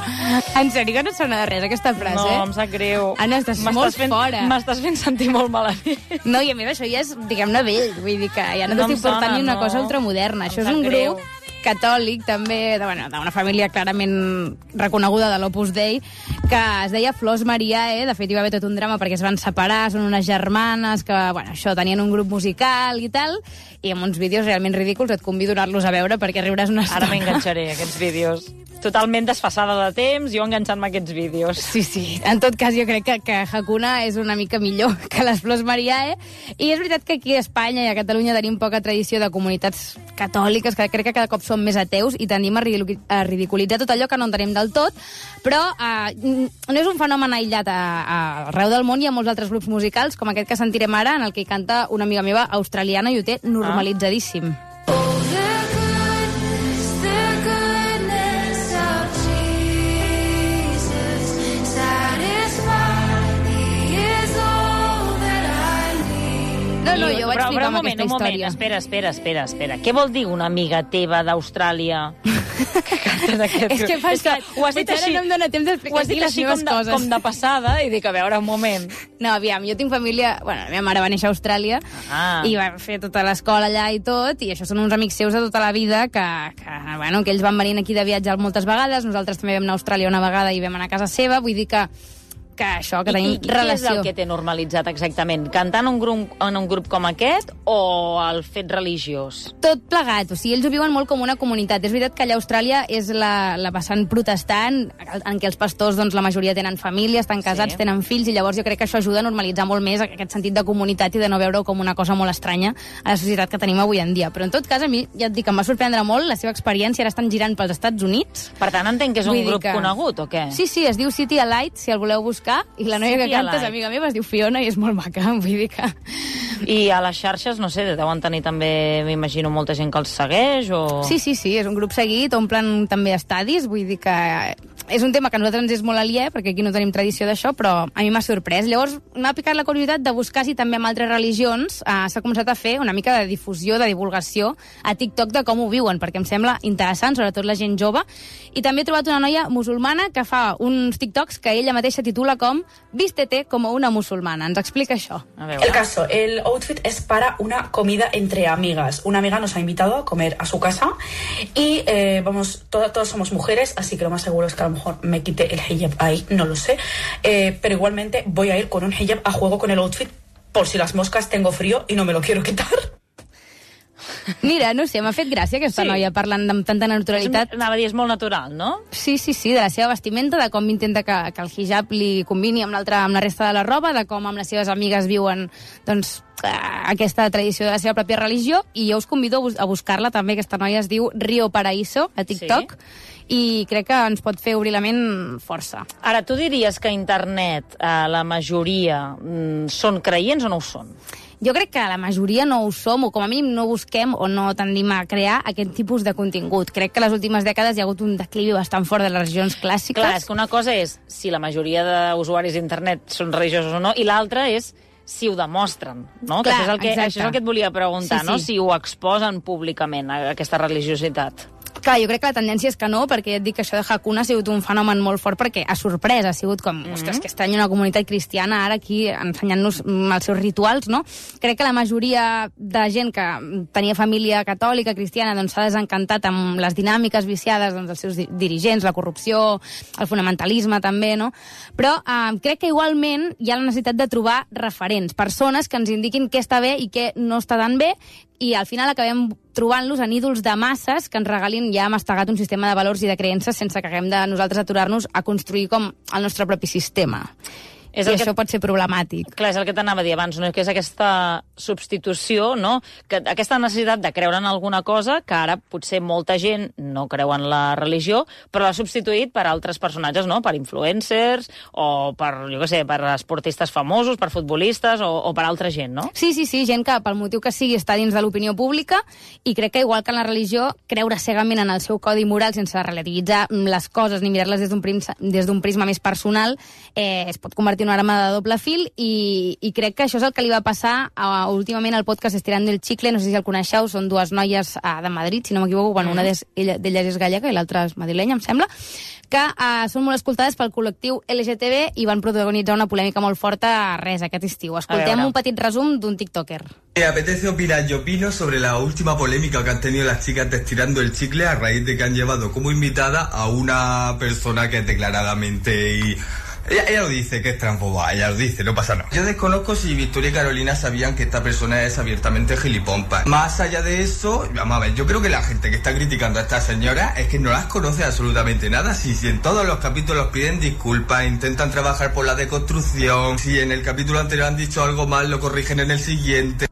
En sèrio que no et sona de res, aquesta frase? No, em sap greu. Anna, estàs M'estàs molt fent, fora. M'estàs fent sentir molt malament. No, i a més això ja és, diguem-ne, vell. Vull dir que ja no, No t'estic em sona, portant ni una no. cosa ultramoderna. Em Això és sap un greu. grup catòlic, també, de, bueno, d'una família clarament reconeguda de l'Opus Dei, que es deia Flors Mariae. De fet, hi va haver tot un drama perquè es van separar, són unes germanes que, bueno, això, tenien un grup musical i tal, i amb uns vídeos realment ridículs. Et convido a anar-los a veure perquè riuràs una estona. Ara m'enganxaré, aquests vídeos. Totalment desfasada de temps, jo enganxant-me a aquests vídeos. Sí, sí. En tot cas, jo crec que, que Hakuna és una mica millor que les Flors Mariae. I és veritat que aquí a Espanya i a Catalunya tenim poca tradició de comunitats catòliques, que crec que cada cop som més ateus i tendim a, ridicu a ridiculitzar tot allò que no entenem del tot, però eh, no és un fenomen aïllat a, a, arreu del món. Hi ha molts altres grups musicals, com aquest que sentirem ara, en el que hi canta una amiga meva australiana i ho té normalitzadíssim. No, no, jo vaig però, flipar però, amb moment, aquesta un moment, història. espera, espera, espera, espera. Què vol dir una amiga teva d'Austràlia que canta d'aquest És que passa, és que ho has dit potser així, ara no em dóna temps ho d'explicar has dit aquí les així meves com de, coses. com de passada i dic, a veure, un moment. No, aviam, jo tinc família... Bueno, la meva mare va néixer a Austràlia Ah. i va fer tota l'escola allà i tot, i això són uns amics seus de tota la vida que, que, bueno, que ells van venir aquí de viatjar moltes vegades, nosaltres també vam anar a Austràlia una vegada i vam anar a casa seva, vull dir que que això, que I, tenim i, i relació. què és el que té normalitzat exactament? Cantar en un grup, en un grup com aquest o el fet religiós? Tot plegat, o sigui, ells ho viuen molt com una comunitat. És veritat que allà a Austràlia és la, la vessant protestant, en què els pastors, doncs, la majoria tenen família, estan casats, Sí. tenen fills, i llavors jo crec que això ajuda a normalitzar molt més aquest sentit de comunitat i de no veure-ho com una cosa molt estranya a la societat que tenim avui en dia. Però en tot cas, a mi, ja et dic, em va sorprendre molt la seva experiència. Ara estan girant pels Estats Units. Per tant, entenc que és un Vull dir grup que- conegut, o què? Sí, sí, es diu City Alight, si el voleu buscar, i la noia City que canta és Alight. amiga meva, es diu Fiona, i és molt maca, vull dir que... I a les xarxes, no sé, deuen tenir també, m'imagino, molta gent que els segueix, o... Sí, sí, sí, és un grup seguit, omplen també estadis, vull dir que és un tema que a nosaltres ens és molt aliè, perquè aquí no tenim tradició d'això, però a mi m'ha sorprès. Llavors m'ha picat la curiositat de buscar si també amb altres religions eh, s'ha començat a fer una mica de difusió, de divulgació a TikTok de com ho viuen, perquè em sembla interessant, sobretot la gent jove. I també he trobat una noia musulmana que fa uns TikToks que ella mateixa titula com Vístete como una musulmana. Ens explica això. El caso, el outfit es para una comida entre amigas. Una amiga nos ha invitado a comer a su casa y eh, vamos, todas, todas somos mujeres, así que lo más seguro es que a lo mejor me quite el hijab ahí, no lo sé. Eh, pero igualmente voy a ir con un hijab a juego con el outfit por si las moscas tengo frío y no me lo quiero quitar. Mira, no sé, m'ha fet gràcia aquesta Sí. noia parlant amb tanta naturalitat. És, anava a dir, és molt natural, no? Sí, sí, sí, de la seva vestimenta, de com intenta que, que el hijab li combini amb, l'altra, amb la resta de la roba, de com amb les seves amigues viuen doncs, eh, aquesta tradició de la seva pròpia religió, i jo us convido a, bus a buscar-la també. Aquesta noia es diu Rio Paraíso, a TikTok, sí. I crec que ens pot fer obrir la ment força. Ara, tu diries que a internet eh, la majoria mm, són creients o no ho són? Jo crec que la majoria no ho som, o com a mínim no busquem o no tendim a crear aquest tipus de contingut. Crec que les últimes dècades hi ha hagut un declivi bastant fort de les religions clàssiques. Clar, és que una cosa és si la majoria d'usuaris d'internet són religiosos o no, i l'altra és si ho demostren, no? Clar, que això, és el que, exacte. això és el que et volia preguntar, Sí, no? sí. Si ho exposen públicament, aquesta religiositat. Clar, jo crec que la tendència és que no, perquè ja et dic que això de Hakuna ha sigut un fenomen molt fort, perquè ha sorprès, ha sigut com, mm -hmm. ostres, que estrany una comunitat cristiana ara aquí ensenyant-nos mm, els seus rituals, no? Crec que la majoria de gent que tenia família catòlica, cristiana, doncs s'ha desencantat amb les dinàmiques viciades doncs, dels seus di dirigents, la corrupció, el fonamentalisme també, no? Però eh, crec que igualment hi ha la necessitat de trobar referents, persones que ens indiquin què està bé i què no està tan bé, i al final acabem trobant-los en ídols de masses que ens regalin ja mastegat un sistema de valors i de creences sense que haguem de nosaltres aturar-nos a construir com el nostre propi sistema. És I això que... pot ser problemàtic. Clar, és el que t'anava a dir abans, no? Que és aquesta substitució, no? Que aquesta necessitat de creure en alguna cosa, que ara potser molta gent no creu en la religió, però l'ha substituït per altres personatges, no? Per influencers, o per, jo què sé, per esportistes famosos, per futbolistes, o, o per altra gent, no? Sí, sí, sí, gent que pel motiu que sigui està dins de l'opinió pública, i crec que igual que en la religió, creure cegament en el seu codi moral sense relativitzar les coses ni mirar-les des d'un prisma, des d'un prisma més personal, eh, es pot convertir en una arma de doble fil, i, i crec que això és el que li va passar a, últimament al podcast Estirando el Chicle, no sé si el coneixeu, són dues noies a, de Madrid, si no m'equivoco, bueno, una d'elles és gallega i l'altra és madrilenya, em sembla, que uh, són molt escoltades pel col·lectiu L G T B i van protagonitzar una polèmica molt forta res aquest estiu. Escoltem un petit resum d'un tiktoker. Me apetece opinar, yo opino sobre la última polémica que han tenido las chicas de Estirando el Chicle a raíz de que han llevado como invitada a una persona que es declaradamente y... Ella, ella lo dice, que es transfoba, ella lo dice, no pasa nada. Yo desconozco si Victoria y Carolina sabían que esta persona es abiertamente gilipompa. Más allá de eso, vamos a ver, yo creo que la gente que está criticando a esta señora es que no las conoce absolutamente nada. Si, si en todos los capítulos piden disculpas, intentan trabajar por la deconstrucción, si en el capítulo anterior han dicho algo mal, lo corrigen en el siguiente.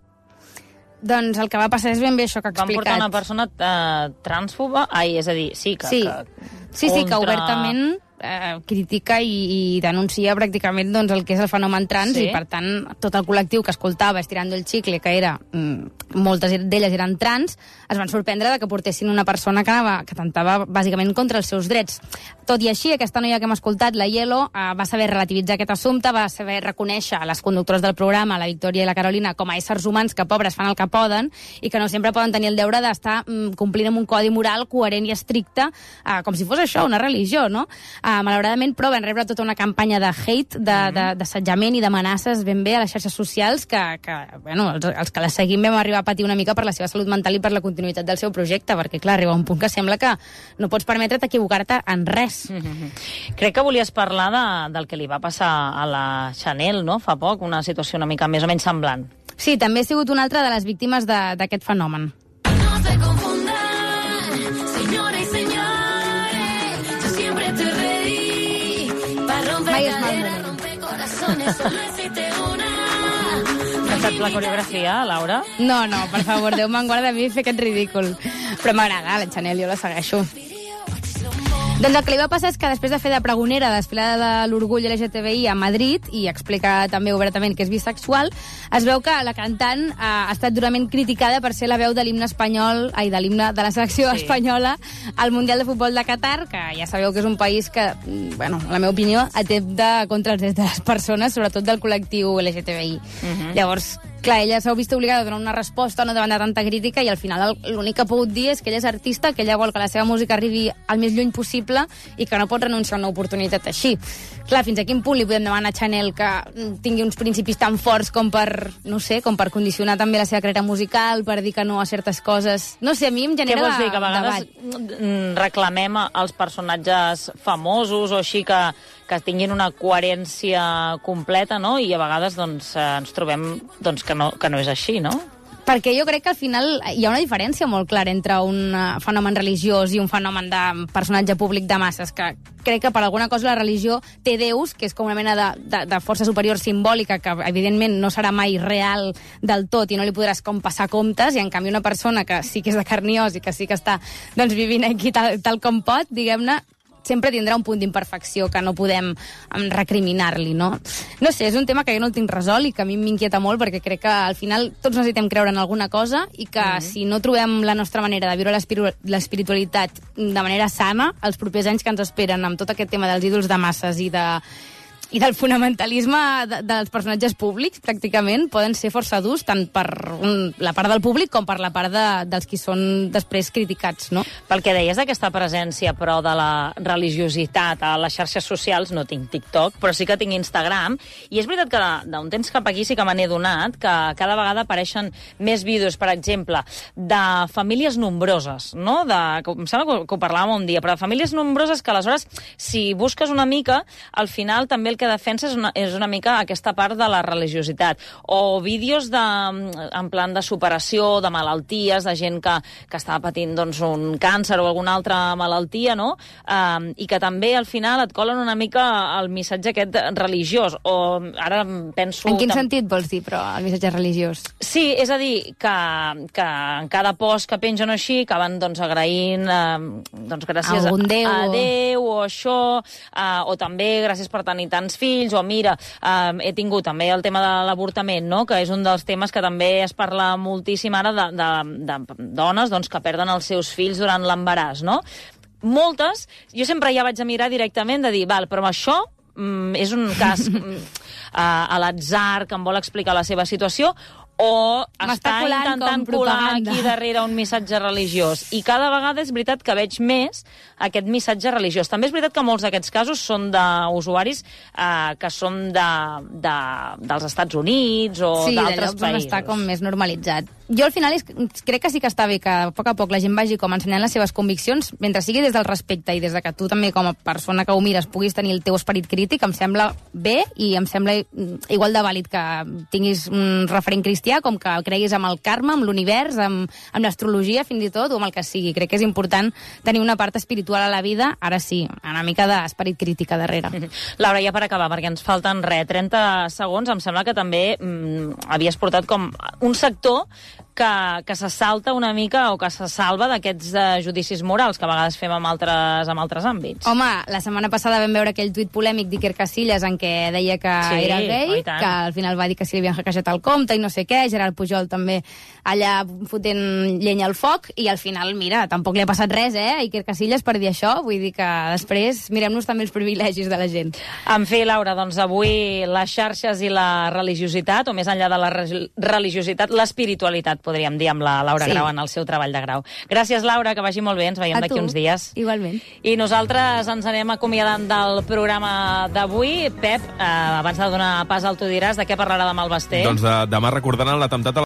Doncs el que va passar és ben bé això que ha explicat. Van portar una persona uh, transfoba? Ai, és a dir, sí que... Sí, que sí, sí, que obertament eh, critica i, i denuncia pràcticament doncs, el que és el fenomen trans, sí. I per tant tot el col·lectiu que escoltava Estirando el Chicle, que era mm, moltes d'elles eren trans, es van sorprendre de que portessin una persona que, anava, que tentava bàsicament contra els seus drets. Tot i així, aquesta noia que hem escoltat, la Yelo, eh, va saber relativitzar aquest assumpte, va saber reconèixer a les conductores del programa, la Victòria i la Carolina, com a éssers humans que, pobres, fan el que poden i que no sempre poden tenir el deure d'estar mm, complint amb un codi moral coherent i estricte, eh, com si fos això, una religió, no? Eh, malauradament, però, van rebre tota una campanya de hate, d'assetjament i d'amenaces ben bé a les xarxes socials que, que bueno, els, els que les seguim vam arribar a patir una mica per la seva salut mental i per la continuïtat del seu projecte, perquè, clar, arriba un punt que sembla que no pots permetre't equivocar-te en res. Mm-hmm. Crec que volies parlar de, del que li va passar a la Chanel, no?, fa poc, una situació una mica més o menys semblant. Sí, també ha sigut una altra de les víctimes d'aquest fenomen. No se confundan, señores y señores, yo siempre te reí, para romper caderas, romper corazones, solo existe una. Saps la coreografia, Laura? No, no, per favor, Déu me'n guarda a mi fer aquest ridícul. Però m'agrada, la Chanel, jo la segueixo. Doncs el que li va passar és que després de fer de pregonera a la desfilada de l'orgull L G T B I a Madrid, i explica també obertament que és bisexual, es veu que la cantant ha estat durament criticada per ser la veu de l'himne espanyol, ai, de l'himne de la selecció sí. espanyola al Mundial de Futbol de Qatar, que ja sabeu que és un país que, bueno, en la meva opinió, atempta contra els drets de les persones, sobretot del col·lectiu L G T B I. Uh-huh. Llavors, clar, ella s'ha vist obligada a donar una resposta no davant de tanta crítica, i al final l'únic que ha pogut dir és que ella és artista, que ella vol que la seva música arribi al més lluny possible i que no pot renunciar a una oportunitat així. Clar, fins a quin punt li podem demanar a Chanel que tingui uns principis tan forts com per, no sé, com per condicionar també la seva carrera musical, per dir que no a certes coses? No sé, a mi em genera debat. Què vols dir, que a vegades debat. reclamem als personatges famosos o així que, que tinguin una coherència completa, no? I a vegades doncs, ens trobem doncs, que, no, que no és així, no? Perquè jo crec que al final hi ha una diferència molt clara entre un fenomen religiós i un fenomen de personatge públic de masses, que crec que per alguna cosa la religió té déus, que és com una mena de, de, de força superior simbòlica, que evidentment no serà mai real del tot i no li podràs com passar comptes, i en canvi una persona que sí que és de carn i os i que sí que està doncs, vivint aquí tal, tal com pot, diguem-ne, sempre tindrà un punt d'imperfecció que no podem um, recriminar-li, no? No sé, és un tema que jo no el tinc resolt i que a mi m'inquieta molt, perquè crec que al final tots necessitem creure en alguna cosa i que mm-hmm. si no trobem la nostra manera de viure l'espiritualitat de manera sana, els propers anys que ens esperen amb tot aquest tema dels ídols de masses i de i del fonamentalisme de, dels personatges públics, pràcticament, poden ser força durs, tant per un, la part del públic com per la part de, dels qui són després criticats, no? Pel que deies d'aquesta presència, però, de la religiositat a les xarxes socials, no tinc TikTok, però sí que tinc Instagram, i és veritat que d'un temps cap aquí sí que me n'he donat, que cada vegada apareixen més vídeos, per exemple, de famílies nombroses, no? De, em sembla que ho, que ho parlàvem un dia, però de famílies nombroses que, aleshores, si busques una mica, al final també el que que defensa és una, és una mica aquesta part de la religiositat. O vídeos de, en plan de superació, de malalties, de gent que, que estava patint doncs, un càncer o alguna altra malaltia, no? Um, I que també al final et colen una mica el missatge aquest religiós. O ara penso... En quin tam... sentit vols dir, però, el missatge religiós? Sí, és a dir, que, que en cada post que pengen així acaben doncs, agraint eh, doncs, gràcies Algun Déu, a, a o... Déu o això, eh, o també gràcies per tenir tants fills, o mira, eh, he tingut també el tema de l'avortament, no? Que és un dels temes que també es parla moltíssim ara de, de, de dones doncs, que perden els seus fills durant l'embaràs, no? Moltes, jo sempre ja vaig a mirar directament de dir, val, però això mm, és un cas mm, a, a l'atzar que em vol explicar la seva situació, o està intentant colar aquí darrere un missatge religiós. I cada vegada és veritat que veig més aquest missatge religiós. També és veritat que molts d'aquests casos són d'usuaris eh, que són de, de, dels Estats Units o sí, d'altres països. Sí, està com més normalitzat. Jo al final és, crec que sí que està bé que a poc a poc la gent vagi com ensenyant les seves conviccions, mentre sigui des del respecte i des de que tu també com a persona que ho mires puguis tenir el teu esperit crític, em sembla bé i em sembla igual de vàlid que tinguis un referent cristià com que creguis amb el karma, amb l'univers, amb, amb l'astrologia fins i tot, o amb el que sigui. Crec que és important tenir una part espiritual a la vida, ara sí, una mica d'esperit crític a darrere. Laura, ja per acabar, perquè ens falten res, trenta segons, em sembla que també mm, havies portat com un sector que, que se salta una mica o que se salva d'aquests uh, judicis morals que a vegades fem amb altres, amb altres àmbits. Home, la setmana passada vam veure aquell tuit polèmic d'Iker Casillas en què deia que sí, era gay, que al final va dir que si li havien hackejat el compte i no sé què, Gerard Pujol també allà fotent llenya al foc, i al final, mira, tampoc li ha passat res, eh, a Iker Casillas per dir això, vull dir que després mirem-nos també els privilegis de la gent. En fi, Laura, doncs avui les xarxes i la religiositat, o més enllà de la religiositat, l'espiritualitat, podríem dir, amb la Laura sí. Grau en el seu treball de grau. Gràcies, Laura, que vagi molt bé, ens veiem d'aquí uns dies. Igualment. I nosaltres ens anem acomiadant del programa d'avui. Pep, eh, abans de donar pas al Tu diràs, de què parlarà demà el Basté? Doncs de, demà recordaran l'atemptat a